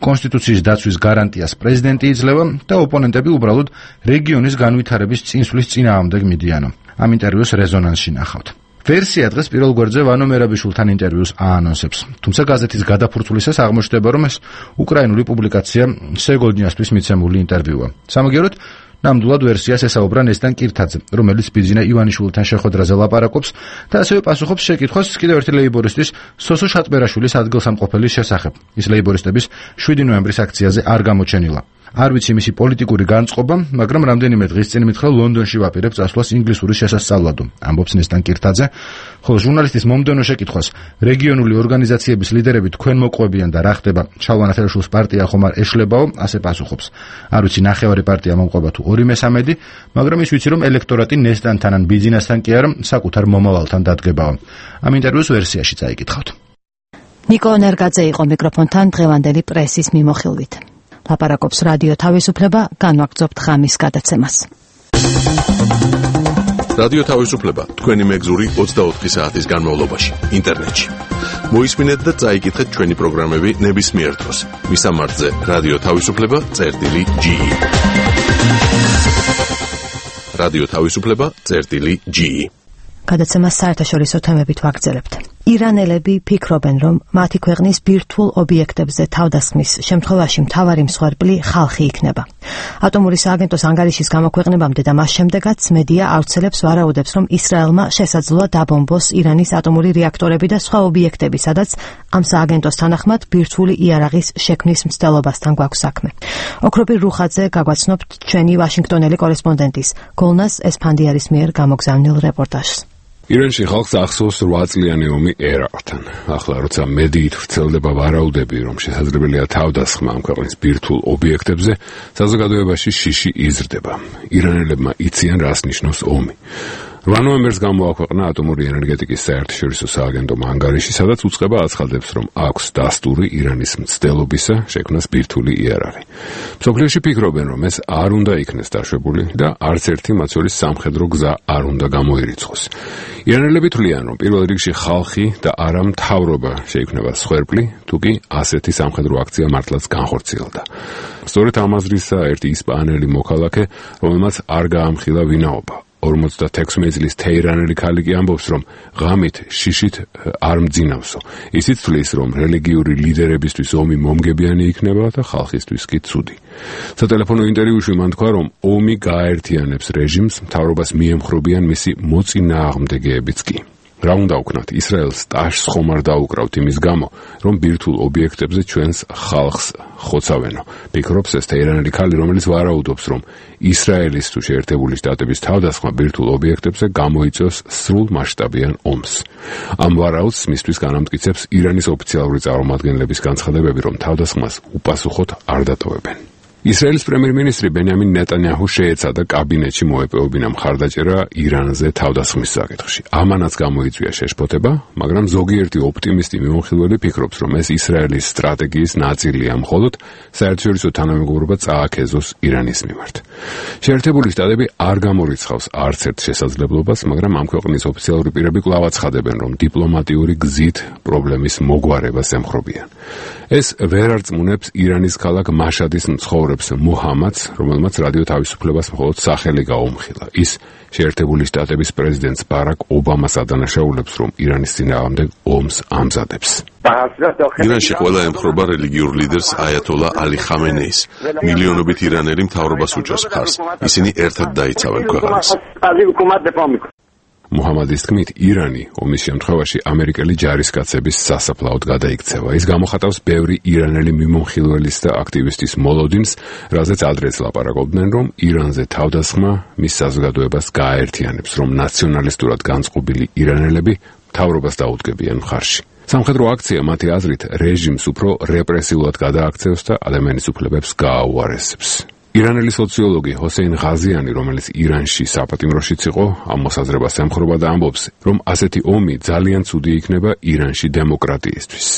კონსტიტუციის დაცვის გარანტიას პრეზიდენტი იძლევა და ოპონენტები უბრალოდ რეგიონის განვითარების წინსვლის წინააღმდეგ მიდიანო. ამ ინტერვიუს რეზონანსში ნახავთ. ვერსია დღეს პირველ გვერდზე ვანო მერაბიშვილთან ინტერვიუს აანონსებს. თუმცა გაზეთის გადაფურცვლისას აღმოჩნდება, რომ ეს უკრაინული პუბლიკაცია სეგოლნიასთვის მიცემული ინტერვიუა. სამაგიეროდ ნამდვილად ვერსიას ესაუბრა ნესტან კირთაძე, რომელიც ბიძინა ივანიშვილთან შეხვედრაზე ლაპარაკობს და ასევე პასუხობს შეკითხვას კიდევ ერთი ლეიბორისტის სოსო შატბერაშვილის ადგილსამყოფელის შესახებ. ის ლეიბორისტების 7 ნოემბრის აქციაზე არ გამოჩენილა. არ ვიცი მისი პოლიტიკური განწყობა, მაგრამ რამდენიმე დღის წინ მითხრა ლონდონში ვაპირებ წასვლას ინგლისურის შესასწავლად, ამბობს ნესტან კირთაძე, ხოლო ჟურნალისტის მომდევნო შეკითხვას რეგიონული ორგანიზაციების ლიდერები თქვენ მოყვებიან და რა ხდება ჩალვან ახერაშვილის პარტია ხომ არ ეშლებაო, ასე პასუხობს. არ ვიცი ნახევარი პარტია მომყვება თუ 2/3, მაგრამ ის ვიცი რომ ელექტორატი ნესტანთან ან ბიძინასთან კი არა, საკუთარ მომავალთან დადგებაო. ამ ინტერვიუს ვერსიაში წაიკითხავთ. ნიკო ნერგაძე იყო მიკროფონთან დღევანდელი პრესის მიმოხილვით. ლაპარაკობს რადიო თავისუფლება, განვაგრძობთ ღამის გადაცემას. რადიო თავისუფლება თქვენი მეგზური 24 საათის განმავლობაში ინტერნეტში. მოისმინეთ და წაიკითხეთ ჩვენი პროგრამები ნებისმიერ დროს. მისამართზე რადიო თავისუფლება.ge. რადიო თავისუფლება.ge. გადაცემას საერთაშორისო თემებით ვაგრძელებთ. ირანელები ფიქრობენ, რომ მათი ქვეყნის ბირთვულ ობიექტებზე თავდასხმის შემთხვევაში მთავარი მსხვერპლი ხალხი იქნება. ატომური სააგენტოს ანგარიშის გამოქვეყნებამდე და მას შემდეგაც მედია ავრცელებს ვარაუდებს, რომ ისრაელმა შესაძლოა დაბომბოს ირანის ატომური რეაქტორები და სხვა ობიექტები, სადაც ამ სააგენტოს თანახმად ბირთვული იარაღის შექმნის მცდელობასთან გვაქვს საქმე. ოქროპირ რუხაძე გაგვაცნობთ ჩვენი ვაშინგტონელი კორესპონდენტის გოლნას ესფანდიარის მიერ გამოგზავნილ რეპორტაჟს. ირანში ხალხს ახსოვს 8 წლიანი ომი ერაყთან. ახლა როცა მედიით ვრცელდება ვარაუდები, რომ შესაძლებელია თავდასხმა ამ ქვეყნის ბირთვულ ობიექტებზე, საზოგადოებაში შიში იზრდება. ირანელებმა იციან, რას ნიშნავს ომი. 8 ნოემბერს გამოაქვეყნა ატომური ენერგეტიკის საერთაშორისო სააგენტომ ანგარიში, სადაც უწყება აცხადებს, რომ აქვს დასტური ირანის მცდელობისა შექმნას ბირთვული იარაღი. მსოფლიოში ფიქრობენ, რომ ეს არ უნდა იქნეს დაშვებული და არც ერთი მაცვლის სამხედრო გზა არ უნდა გამოირიცხოს. ირანელები თვლიან, რომ პირველ რიგში ხალხი და არა მთავრობა შეიქმნება მსხვერპლი, თუკი ასეთი სამხედრო აქცია მართლაც განხორციელდა. სწორედ ამ აზრისა ერთი ისპანელი მოქალაქე, რომელმაც არ გაამხილა ვინაობა. 56 წლის თეირანელი ქალი კი ამბობს, რომ ღამით შიშით არ მძინავსო. ისიც თვლის, რომ რელიგიური ლიდერებისთვის ომი მომგებიანი იქნება და ხალხისთვის კი ცუდი. სატელეფონო ინტერვიუში მან თქვა, რომ ომი გააერთიანებს რეჟიმს, მთავრობას მიემხრობიან მისი მოწინააღმდეგეებიც კი. რა უნდა ვქნათ, ისრაელს ტაშს ხომ არ დაუკრავთ იმის გამო, რომ ბირთვულ ობიექტებზე ჩვენს ხალხს ხოცავენო. ფიქრობს ეს თეირანელი ქალი, რომელიც ვარაუდობს, რომ ისრაელის თუ შეერთებული შტატების თავდასხმა ბირთვულ ობიექტებზე გამოიწვევს სრულ მასშტაბიან ომს. ამ ვარაუდს მისთვის განამტკიცებს ირანის ოფიციალური წარმომადგენლების განცხადებები, რომ თავდასხმას უპასუხოდ არ დატოვებენ. ისრაელის პრემიერ-მინისტრი ბენიამინ ნეტანიაჰუ შეეცადა კაბინეტში მოეპოვებინა მხარდაჭერა ირანზე თავდასხმის საკითხში. ამანაც გამოიწვია შეშფოთება, მაგრამ ზოგიერთი ოპტიმისტი მიმოხილველი ფიქრობს, რომ ეს ისრაელის სტრატეგიის ნაწილია, მხოლოდ საერთაშორისო თანამეგობრობა წააქეზოს ირანის მიმართ. შეერთებული შტატები არ გამორიცხავს არც ერთ შესაძლებლობას, მაგრამ ამ ქვეყნის ოფიციალური პირები კვლავ აცხადებენ, რომ დიპლომატიური გზით პრობლემის მოგვარებას ემხრობიან. ეს ვერ არწმუნებს ირანის ქალაქ მაშადის მცხოვრებს მუჰამადს, რომელმაც რადიო თავისუფლებას მხოლოდ სახელი გაუმხილა. ის შეერთებული შტატების პრეზიდენტს ბარაკ ობამას ადანაშაულებს, რომ ირანის წინააღმდეგ ომს ამზადებს. ირანში ყველა ემხრობა რელიგიურ ლიდერს აიათოლა ალი ხამენეის. მილიონობით ირანელი მთავრობას უჭერს მხარს. ისინი ერთად დაიცავენ ქვეყანას. მუჰამადის თქმით, ირანი ომის შემთხვევაში ამერიკელი ჯარისკაცების სასაფლაოდ გადაიქცევა. ის გამოხატავს ბევრი ირანელი მიმოხილველის და აქტივისტის მოლოდინს, რაზეც ადრეც ლაპარაკობდნენ, რომ ირანზე თავდასხმა მის საზოგადოებას გააერთიანებს, რომ ნაციონალისტურად განწყობილი ირანელები მთავრობას დაუდგებიან მხარში. სამხედრო აქცია მათი აზრით რეჟიმს უფრო რეპრესიულად გადააქცევს და ადამიანის უფლებებს გააუარესებს. ირანელი სოციოლოგი ჰოსეინ ღაზიანი, რომელიც ირანში საპატიმროშიც იყო, ამ მოსაზრებას ემხრობა და ამბობს, რომ ასეთი ომი ძალიან ცუდი იქნება ირანში დემოკრატიისთვის.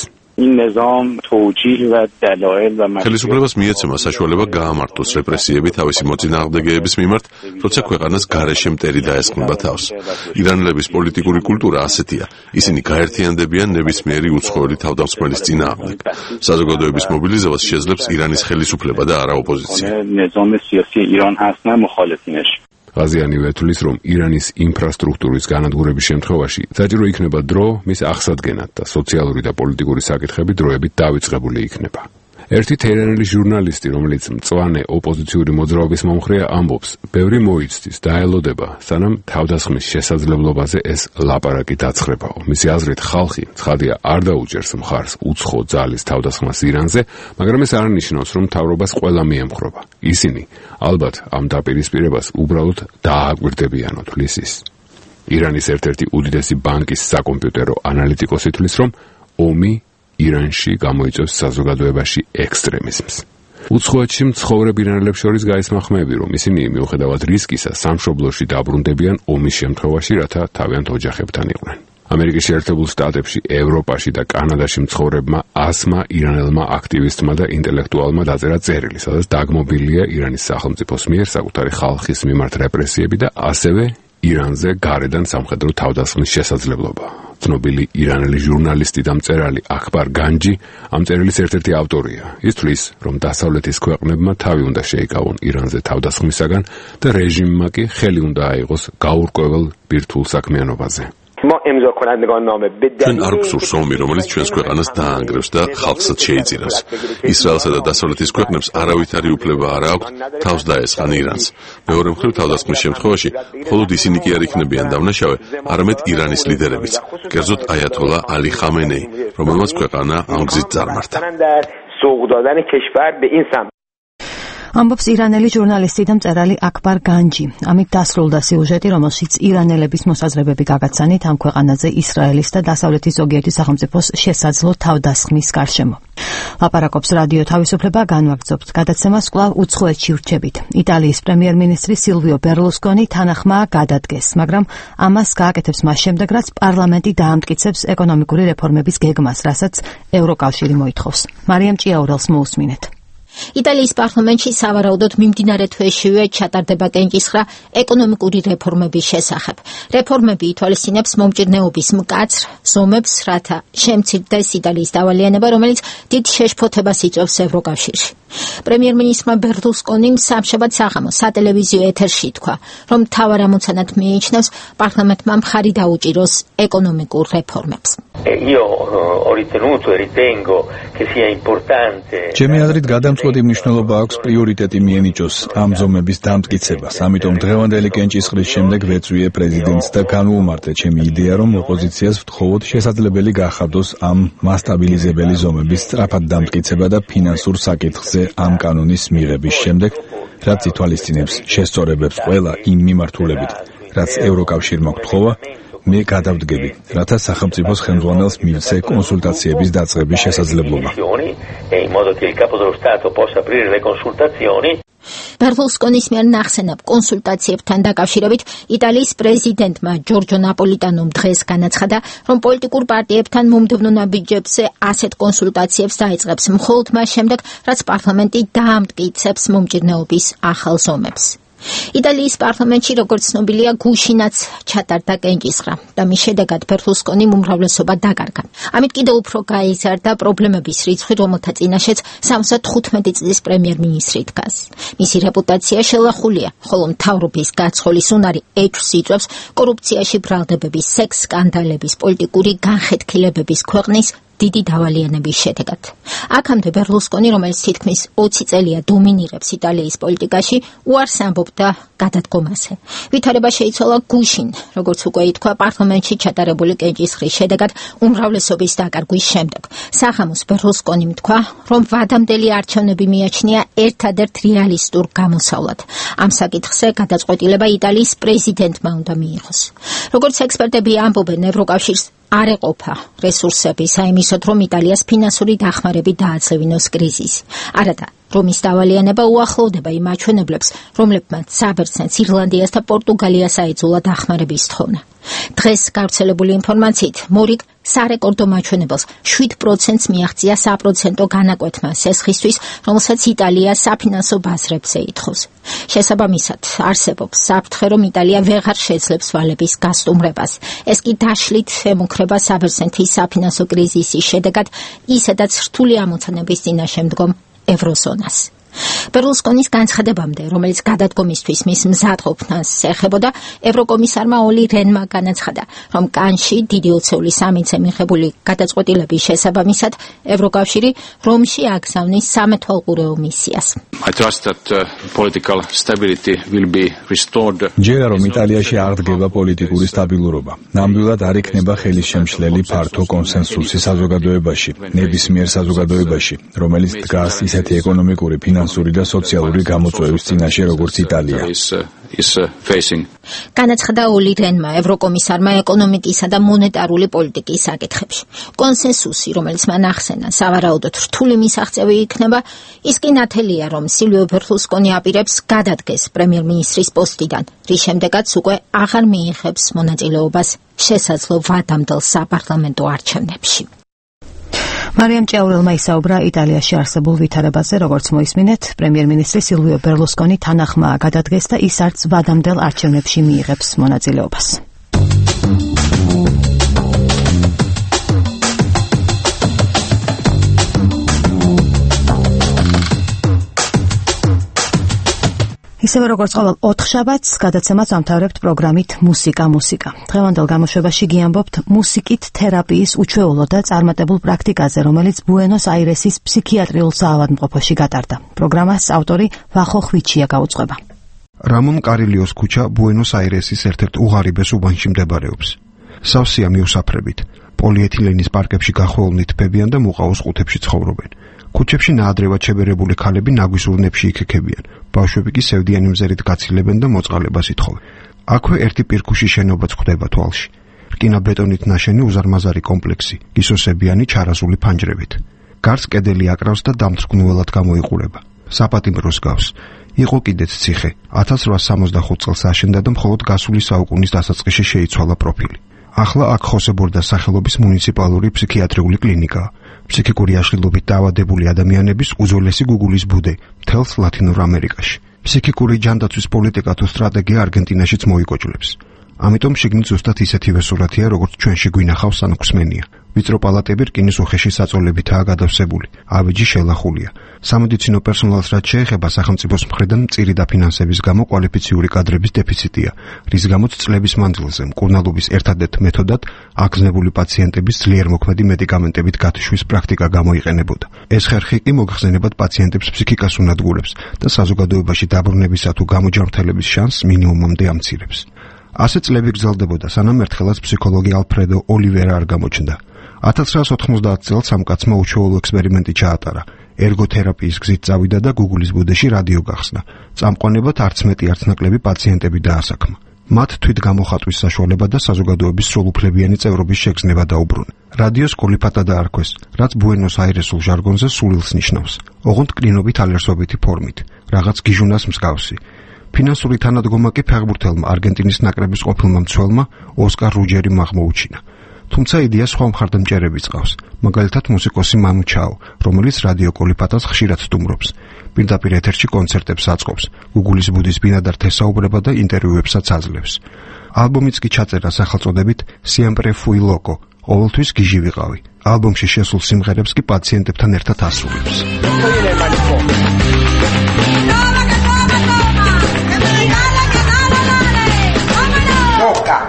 ხელისუფლებას მიეცემა საშუალება გაამართლოს რეპრესიები თავისი მოწინააღმდეგეების მიმართ, როცა ქვეყანას გარეშე მტერი დაესხმება თავს. ირანელების პოლიტიკური კულტურა ასეთია. ისინი გაერთიანდებიან ნებისმიერი უცხოელი თავდამსხმელის წინააღმდეგ. საზოგადოების მობილიზებას შეძლებს ირანის ხელისუფლება და არა ოპოზიცია. ღაზიანი ვეთulis, რომ ირანის ინფრასტრუქტურის განადგურების შემთხვევაში საჭირო იქნება დრო მის აღსადგენად და სოციალური და პოლიტიკური საკითხები დროებით დავიწყებული იქნება. ერთი თეირანელი ჟურნალისტი, რომელიც მწვანე ოპოზიციური მოძრაობის მომხრეა, ამბობს, ბევრი მოიცდის და ელოდება, სანამ თავდასხმის შესაძლებლობაზე ეს ლაპარაკი დაცხრებაო. მისი აზრით, ხალხი ცხადია არ დაუჭერს მხარს უცხო ძალის თავდასხმას ირანზე, მაგრამ ეს არ ნიშნავს, რომ მთავრობას ყველა მიემხრობა. ისინი ალბათ ამ დაპირისპირებას უბრალოდ დააკვირდებიანო, თვლის ის. ირანის ერთ-ერთი უდიდესი ბანკის საკომპიუტერო ანალიტიკოსი თვლის, რომ ომი ირანში გამოიწვევს საზოგადოებაში ექსტრემიზმს. უცხოეთში მცხოვრებ ირანელებს შორის გაისმა ხმები, რომ ისინი მიუხედავად რისკისა სამშობლოში დაბრუნდებიან ომის შემთხვევაში, რათა თავიანთ ოჯახებთან იყვნენ. ამერიკის შეერთებულ შტატებში, ევროპაში და კანადაში მცხოვრებმა 100-მა ირანელმა აქტივისტმა და ინტელექტუალმა დაწერა წერილი, სადაც დაგმობილია ირანის სახელმწიფოს მიერ საკუთარი ხალხის მიმართ რეპრესიები და ასევე ირანზე გარედან სამხედრო თავდასხმის შესაძლებლობა. ცნობილი ირანელი ჟურნალისტი და მწერალი აქბარ განჯი ამ წერილის ერთ-ერთი ავტორია. ის თვლის, რომ დასავლეთის ქვეყნებმა თავი უნდა შეიკავონ ირანზე თავდასხმისაგან და რეჟიმმა კი ხელი უნდა აიღოს გაურკვეველ ბირთვულ საქმიანობაზე. ჩვენ არ გვსურს ომი, რომელიც ჩვენს ქვეყანას დაანგრევს და ხალხსაც შეიწირავს. ისრაელსა და დასავლეთის ქვეყნებს არავითარი უფლება არ აქვთ თავს დაესხან ირანს. მეორე მხრივ, თავდასხმის შემთხვევაში მხოლოდ ისინი კი არ იქნებიან დამნაშავე, არამედ ირანის ლიდერებიც, კერძოდ აიათოლა ალი ხამენეი, რომელმაც ქვეყანა ამ გზით წარმართა. ამბობს ირანელი ჟურნალისტი და მწერალი აქბარ განჯი. ამით დასრულდა სიუჟეტი, რომელშიც ირანელების მოსაზრებები გაგაცანით ამ ქვეყანაზე ისრაელის და დასავლეთის ზოგიერთი სახელმწიფოს შესაძლო თავდასხმის გარშემო. ლაპარაკობს რადიო თავისუფლება, განვაგრძობთ გადაცემას კვლავ უცხოეთში ვრჩებით. იტალიის პრემიერ-მინისტრი სილვიო ბერლუსკონი თანახმა გადადგეს, მაგრამ ამას გააკეთებს მას შემდეგ, რაც პარლამენტი დაამტკიცებს ეკონომიკური რეფორმების გეგმას, რასაც ევროკავშირი მოითხოვს. მარიამ ჭიაურელს მოусმინეთ. იტალიის პარლამენტში სავარაუდოდ მიმდინარე თვეშივე ჩატარდება კენჭისხრა ეკონომიკური რეფორმების შესახებ. რეფორმები ითვალისწინებს მომჭირნეობის მკაცრ ზომებს, რათა შემცირდეს იტალიის დავალიანება, რომელიც დიდ შეშფოთებას იწვევს ევროკავშირში. პრემიერ-მინისტრმა ბერლუსკონიმ სამშაბათ საღამოს სატელევიზიო ეთერში თქვა, რომ მთავარ ამოცანად მიიჩნევს პარლამენტმა მხარი დაუჭიროს ეკონომიკურ რეფორმებს. Io ho ritenuto e ritengo che sia importante. ჩემი აზრით გადამწყვეტი განუწყვეტი მნიშვნელობა აქვს პრიორიტეტი მიენიჭოს ამ ზომების დამტკიცებას. ამიტომ დღევანდელი კენჭისყრის შემდეგ ვეწვიე პრეზიდენტს და განვუმარტე ჩემი იდეა, რომ ოპოზიციას ვთხოვოთ შესაძლებელი გახადოს ამ მასტაბილიზებელი ზომების სწრაფად დამტკიცება და ფინანსურ საკითხზე ამ კანონის მიღების შემდეგ, რაც ითვალისწინებს შესწორებებს ყველა იმ მიმართულებით, რაც ევროკავშირმა გთხოვა, მე გადავდგები, რათა სახელმწიფოს ხელმძღვანელს მივცე კონსულტაციების დაწყების შესაძლებლობა. ბერლუსკონის მიერ ნახსენებ კონსულტაციებთან დაკავშირებით იტალიის პრეზიდენტმა ჯორჯო ნაპოლიტანომ დღეს განაცხადა, რომ პოლიტიკურ პარტიებთან მომდევნო ნაბიჯებზე ასეთ კონსულტაციებს დაიწყებს მხოლოდ მას შემდეგ, რაც პარლამენტი დაამტკიცებს მომჭირნეობის ახალ ზომებს. იტალიის პარლამენტში, როგორც ცნობილია, გუშინაც ჩატარდა კენჭისყრა და მის შედეგად ბერლუსკონიმ უმრავლესობა დაკარგა. ამით კიდევ უფრო გაიზარდა პრობლემების რიცხვი, რომელთა წინაშეც 75 წლის პრემიერ-მინისტრი დგას. მისი რეპუტაცია შელახულია, ხოლო მთავრობის გაცხოვლის უნარი ეჭვს იწვევს კორუფციაში ბრალდებების, სექს სკანდალების, პოლიტიკური განხეთქილებების ქვეყნის დიდი დავალიანების შედეგად. აქამდე ბერლუსკონი, რომელიც თითქმის 20 წელია დომინირებს იტალიის პოლიტიკაში, უარს ამბობდა გადადგომაზე. ვითარება შეიცვალა გუშინ, როგორც უკვე ითქვა, პარლამენტში ჩატარებული კენჭისყრის შედეგად უმრავლესობის დაკარგვის შემდეგ. საღამოს ბერლუსკონიმ თქვა, რომ ვადამდელი არჩევნები მიაჩნია ერთადერთ რეალისტურ გამოსავლად. ამ საკითხზე გადაწყვეტილება იტალიის პრეზიდენტმა უნდა მიიღოს. როგორც ექსპერტები ამბობენ, ევროკავშირს არ ეყოფა რესურსები საიმისოდ, რომ იტალიას ფინანსური დახმარებით დააძლევინოს კრიზისი. არადა, რომის დავალიანება უახლოვდება იმ მაჩვენებლებს, რომლებმაც საბერძნეთს, ირლანდიას და პორტუგალიას აიძულა დახმარების თხოვნა. დღეს გავრცელებული ინფორმაციით, მორიგ სარეკორდო მაჩვენებელს 7%-ს მიაღწია საპროცენტო განაკვეთმა სესხისთვის, რომელსაც იტალია საფინანსო ბაზრებზე ითხოვს. შესაბამისად, არსებობს საფრთხე, რომ იტალია ვეღარ შეძლებს ვალების გასტუმრებას. ეს კი დაშლით ემუქრება საბერძნეთის საფინანსო კრიზისის შედეგად ისედაც რთული ამოცანების წინაშე მდგომ ევროზონას. ბერლუსკონის განცხადებამდე, რომელიც გადადგომისთვის მის მზადყოფნას ეხებოდა, ევროკომისარმა ოლი რენმა განაცხადა, რომ კანში დიდი ოცეული სამინცე მიღებული გადაწყვეტილების შესაბამისად ევროკავშირი რომში აგზავნის სამეთვალყურეო მისიას. ჯერა რომ იტალიაში აღდგება პოლიტიკური სტაბილურობა. ნამდვილად არ იქნება ხელისშემშლელი ფართო კონსენსუსი საზოგადოებაში, ნებისმიერ საზოგადოებაში, რომელიც დგას ისეთი ეკონომიკური, ფინანსური და სოციალური გამოწვევის წინაშე, როგორც იტალია. განაცხადა ოლი რენმა, ევროკომისარმა ეკონომიკისა და მონეტარული პოლიტიკის საკითხებში. კონსენსუსი, რომელიც მან ახსენა, სავარაუდოდ რთული მისაღწევი იქნება, ის კი ნათელია, რომ სილვიო ბერლუსკონი აპირებს გადადგეს პრემიერ-მინისტრის პოსტიდან, რის შემდეგაც უკვე აღარ მიიღებს მონაწილეობას შესაძლო ვადამდელ საპარლამენტო არჩევნებში. მარიამ ჭეაურელმა ისაუბრა იტალიაში არსებულ ვითარებაზე, როგორც მოისმინეთ, პრემიერ-მინისტრი სილვიო ბერლუსკონი თანახმაა გადადგეს და ის არც ვადამდელ არჩევნებში მიიღებს მონაწილეობას. ისევე როგორც ყოველ ოთხშაბათს გადაცემას ამთავრებთ პროგრამით მუსიკა. დღევანდელ გამოშვებაში გიამბობთ მუსიკით თერაპიის უჩვეულო და წარმატებულ პრაქტიკაზე, რომელიც ბუენოს-აირესის ფსიქიატრიულ საავადმყოფოში გატარდა. პროგრამას ავტორი ვახო ხვიჩია გაუძღვება. რამონ კარილიოს ქუჩა ბუენოს-აირესის ერთ-ერთ უღარიბეს უბანში მდებარეობს. სავსეა მიუსაფრებით. პოლიეთილენის პარკებში გახვეულნი თბებიან და მუყაოს ყუთებში ცხოვრობენ. ქუჩებში ნაადრევად შებერებული ქალები ნაგვის ურნებში იქექებიან. ბავშვები კი სევდიანი მზერით გაცილებენ და მოწყალებას ითხოვენ. აქვე ერთი პირქუში შენობაც გვხვდება თვალში. რკინა-ბეტონით ნაშენი უზარმაზარი კომპლექსი, გისოსებიანი ჩარაზული ფანჯრებით. გარს კედელი აკრავს და დამთრგნულად გამოიყურება. საპატიმროს გავს. იყო კიდეც ციხე. 1865 წელს აშენდა და მხოლოდ გასული საუკუნის დასაწყისში შეიცვალა პროფილი. ახლა აქ ხოსებორდას სახელობის მუნიციპალური ფსიქიატრიული კლინიკაა. ფსიქიკური აშლილობით დაავადებული ადამიანების უძველესი გუგულის ბუდე მთელს ლათინურ ამერიკაში. ფსიქიკური ჯანდაცვის პოლიტიკა თუ სტრატეგია არგენტინაშიც მოიკოჭლებს. ამიტომ შიგნით ზუსტად ისეთივე სურათია, როგორც ჩვენში გვინახავს ან გვსმენია. ვიწრო პალატები რკინის უხეში საწოლებითაა გადავსებული, ავეჯი შელახულია. სამედიცინო პერსონალს რაც შეეხება სახელმწიფოს მხრიდან მწირი დაფინანსების გამო კვალიფიციური კადრების დეფიციტია, რის გამოც წლების მანძილზე მკურნალობის ერთადერთ მეთოდად აგზნებული პაციენტების ძლიერ მოქმედი მედიკამენტებით გათიშვის პრაქტიკა გამოიყენებოდა. ეს ხერხი კი მოგხსენებად პაციენტებს ფსიქიკას უნადგურებს და საზოგადოებაში დაბრუნებისა თუ გამოჯანმრთელების შანსს მინიმუმამდე ამცირებს. ასე წლები გრძელდებოდა, სანამ ერთხელაც ფსიქოლოგი ალფრედო ოლივერა არ გამოჩნდა. 1990 წელს ამ კაცმა უჩვეულო ექსპერიმენტი ჩაატარა. ერგოთერაპიის გზით წავიდა და Google-ის ბუდეში რადიო გახსნა. წამყვანებად არც მეტი არც ნაკლები პაციენტები დაასაქმა. მათ თვით გამოხატვის საშუალება და საზოგადოების სრულუფლებიანი წევრობის შეგრძნება დაუბრუნა. რადიოს კოლიფატა დაარქვეს, რაც ბუენოს-აირესულ ჟარგონზე სულილს ნიშნავს. ოღონდ კრინობით ალერსობითი ფორმით, რაღაც გიჟუნას მსგავსი. ფინანსური თანადგომა კი ფეხბურთელმა არგენტინის ნაკრების ყოფილმა მცველმა ოსკარ რუჯერიმ აღმოუჩინა. თუმცა იდეა სხვა მხარდამჭერებიც ყავს, მაგალითად მუსიკოსი მანუ ჩაო, რომელიც რადიო კოლიფატას ხშირად სტუმრობს. პირდაპირ ეთერში კონცერტებს აწყობს, Google-ის ბუდის ბინადარ თესაუბრება და ინტერვიუებსაც აძლევს. ალბომიც კი ჩაწერა სახელწოდებით Siempre fui loco, ყოველთვის გიჟი ვიყავი. ალბომში შესულ სიმღერებს კი პაციენტებთან ერთად ასრულებს.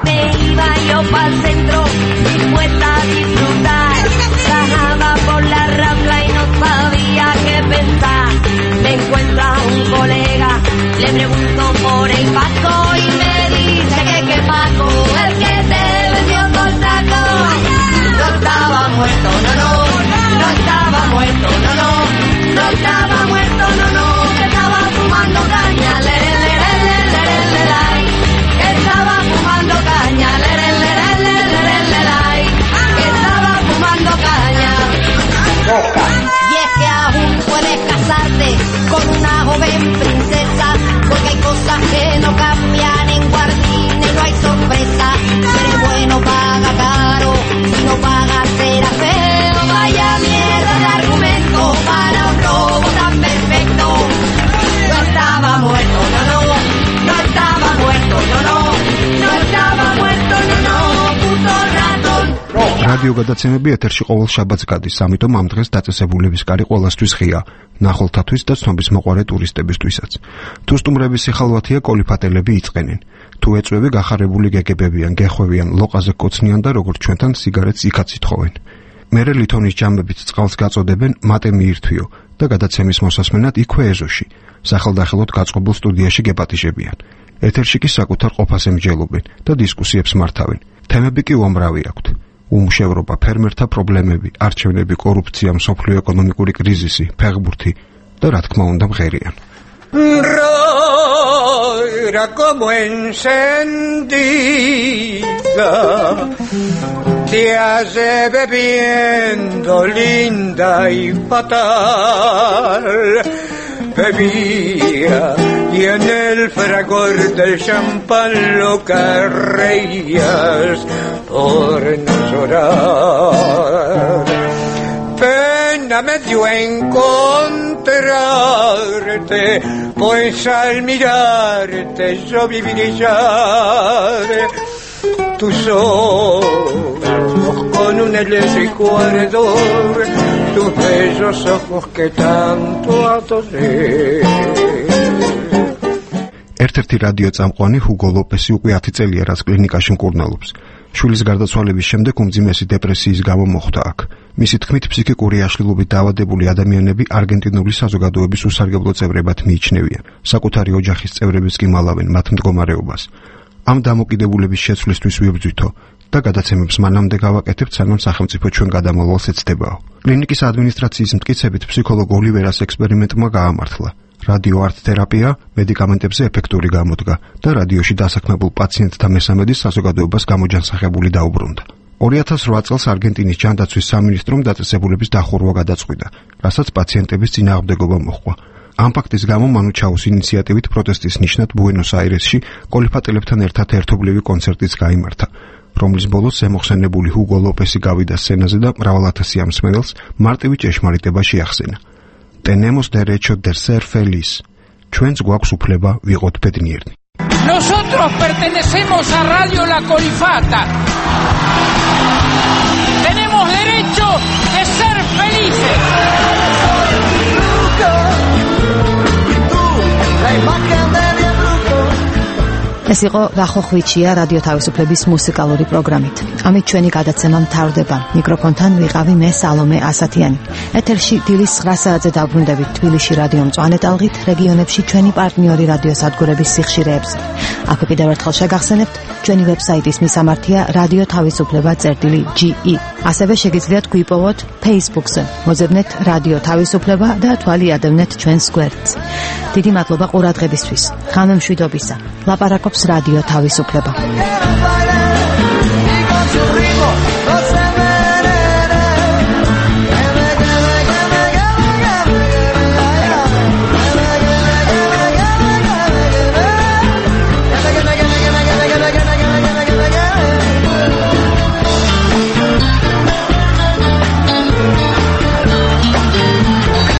Me iba yo pa'l centro, dispuesta a disfrutar. Bajaba por la Rambla y no sabía qué pensar. Me encuentra un colega, le pregunto por el Paco y me dice que qué Paco, el que te vendió por taco. No estaba muerto, no, no, no estaba muerto, no, no, no estaba muerto, no, no, que estaba fumando caña, le, estaba fumando caña, estaba fumando caña. Y es que aún puedes casarte con una joven princesa, porque hay cosas que no cambian en Guardina y no hay sorpresa. Ser bueno paga caro, si no paga será feo. Vaya mierda de argumento para un robo tan perfecto. No estaba muerto, no, no, no estaba muerto, no, no. რადიო გადაცემები ეთერში ყოველ შაბათს გადის, ამიტომ ამ დღეს დაწესებულების კარი ყველასთვის ღია, ნახულთათვის და ცნობის მოყვარე ტურისტებისთვისაც. თუ სტუმრების სიხალვათია, კოლიფატელები იწყენენ. თუ ეწვევი გახარებული გეგებებიან, გეხვევიან, ლოყაზე კოცნიან და როგორც ჩვენთან სიგარეტს იქაც ითხოვენ. მერე ლითონის ჯამებით წყალს გაწოდებენ მატე მიირთვიო და გადაცემის მოსასმენად იქვე ეზოში, სახელდახელოდ გაწყობილ სტუდიაში გეპატიჟებიან. ეთერში კი საკუთარ ყოფას ემჯელობენ და დისკუსიებს მართავენ. თემები კი უამრავი აქვთ. უმუშევრობა, ფერმერთა პრობლემები, არჩევნები, კორუფცია, მსოფლიო ეკონომიკური კრიზისი, ფეხბურთი და რა თქმა უნდა მღერიან. Era como encendida, te hace bebiendo linda y fatal. Bebía y en el fragor del champán lo que reías por no llorar. Pena me dio encontrarte, pues al mirarte yo vi brillar tus ojos con un eléctrico ardor, tus bellos ojos que tanto adoré. ერთ-ერთი რადიო წამყვანი ჰუგო ლოპესი უკვე 10 წელია რაც კლინიკაში მკურნალობს. შვილის გარდაცვალების შემდეგ უმძიმესი დეპრესიის გამო მოხვდა აქ. მისი თქმით, ფსიქიკური აშლილობით დაავადებული ადამიანები არგენტინული საზოგადოების უსარგებლო წევრებად მიიჩნევიან. საკუთარი ოჯახის წევრებიც კი მალავენ მათ მდგომარეობას. ამ დამოკიდებულების შეცვლისთვის ვიბრძვითო და გადაცემებს მანამდე გავაკეთებთ, სანამ სახელმწიფო ჩვენ გადამავალს ეცდებაო. კლინიკის ადმინისტრაციის მტკიცებით ფსიქოლოგ ოლივერას ექსპერიმენტმა გაამართლა. რადიო არტ თერაპია მედიკამენტებზე ეფექტური გამოდგა და რადიოში დასაქმებულ პაციენტთა მესამედი საზოგადოებას გამოჯანსაღებული დაუბრუნდა. 2008 წელს არგენტინის ჯანდაცვის სამინისტრომ დაწესებულების დახურვა გადაწყვიტა, რასაც პაციენტების წინააღმდეგობა მოჰყვა. ამ ფაქტის გამო მანუ ჩაოს ინიციატივით პროტესტის ნიშნად ბუენოს-აირესში კოლიფატელებთან ერთად ერთობლივი კონცერტიც გაიმართა, რომლის ბოლოს ზემოხსენებული ჰუგო ლოპესი გავიდა სცენაზე და მრავალ-ათასი ამსმენელს მარტივი ჭეშმარიტება შეახსენა. Tenemos derecho de ser feliz. ჩვენს გვაქვს უფლება ვიყოთ ბედნიერნი. Nosotros pertenecemos a Radio La Colifata. Tenemos derecho de ser felices. ეს იყო ვახო ხვიჩია რადიო თავისუფლების მუსიკალური პროგრამით. ამით ჩვენი გადაცემა მთავრდება. მიკროფონთან ვიყავი მე სალომე ასათიანი. ეთერში დილის 9 საათზე დაბრუნდებით თბილისში რადიო მწვანე ტალღით, რეგიონებში ჩვენი პარტნიორი რადიოსადგურების სიხშირეებზე. აქ კიდევ ერთხელ შეგახსენებთ, ჩვენი ვებსაიტის მისამართია radio.tavisufleba.ge. ასევე შეგიძლიათ გვიპოვოთ Facebook-ზე. მოძებნეთ რადიო თავისუფლება და თვალი ადევნეთ ჩვენს გვერდს. დიდი მადლობა ყურადღებისთვის. ღამემშვიდობისა. ლაპარაკობს რადიო თავისუფლება.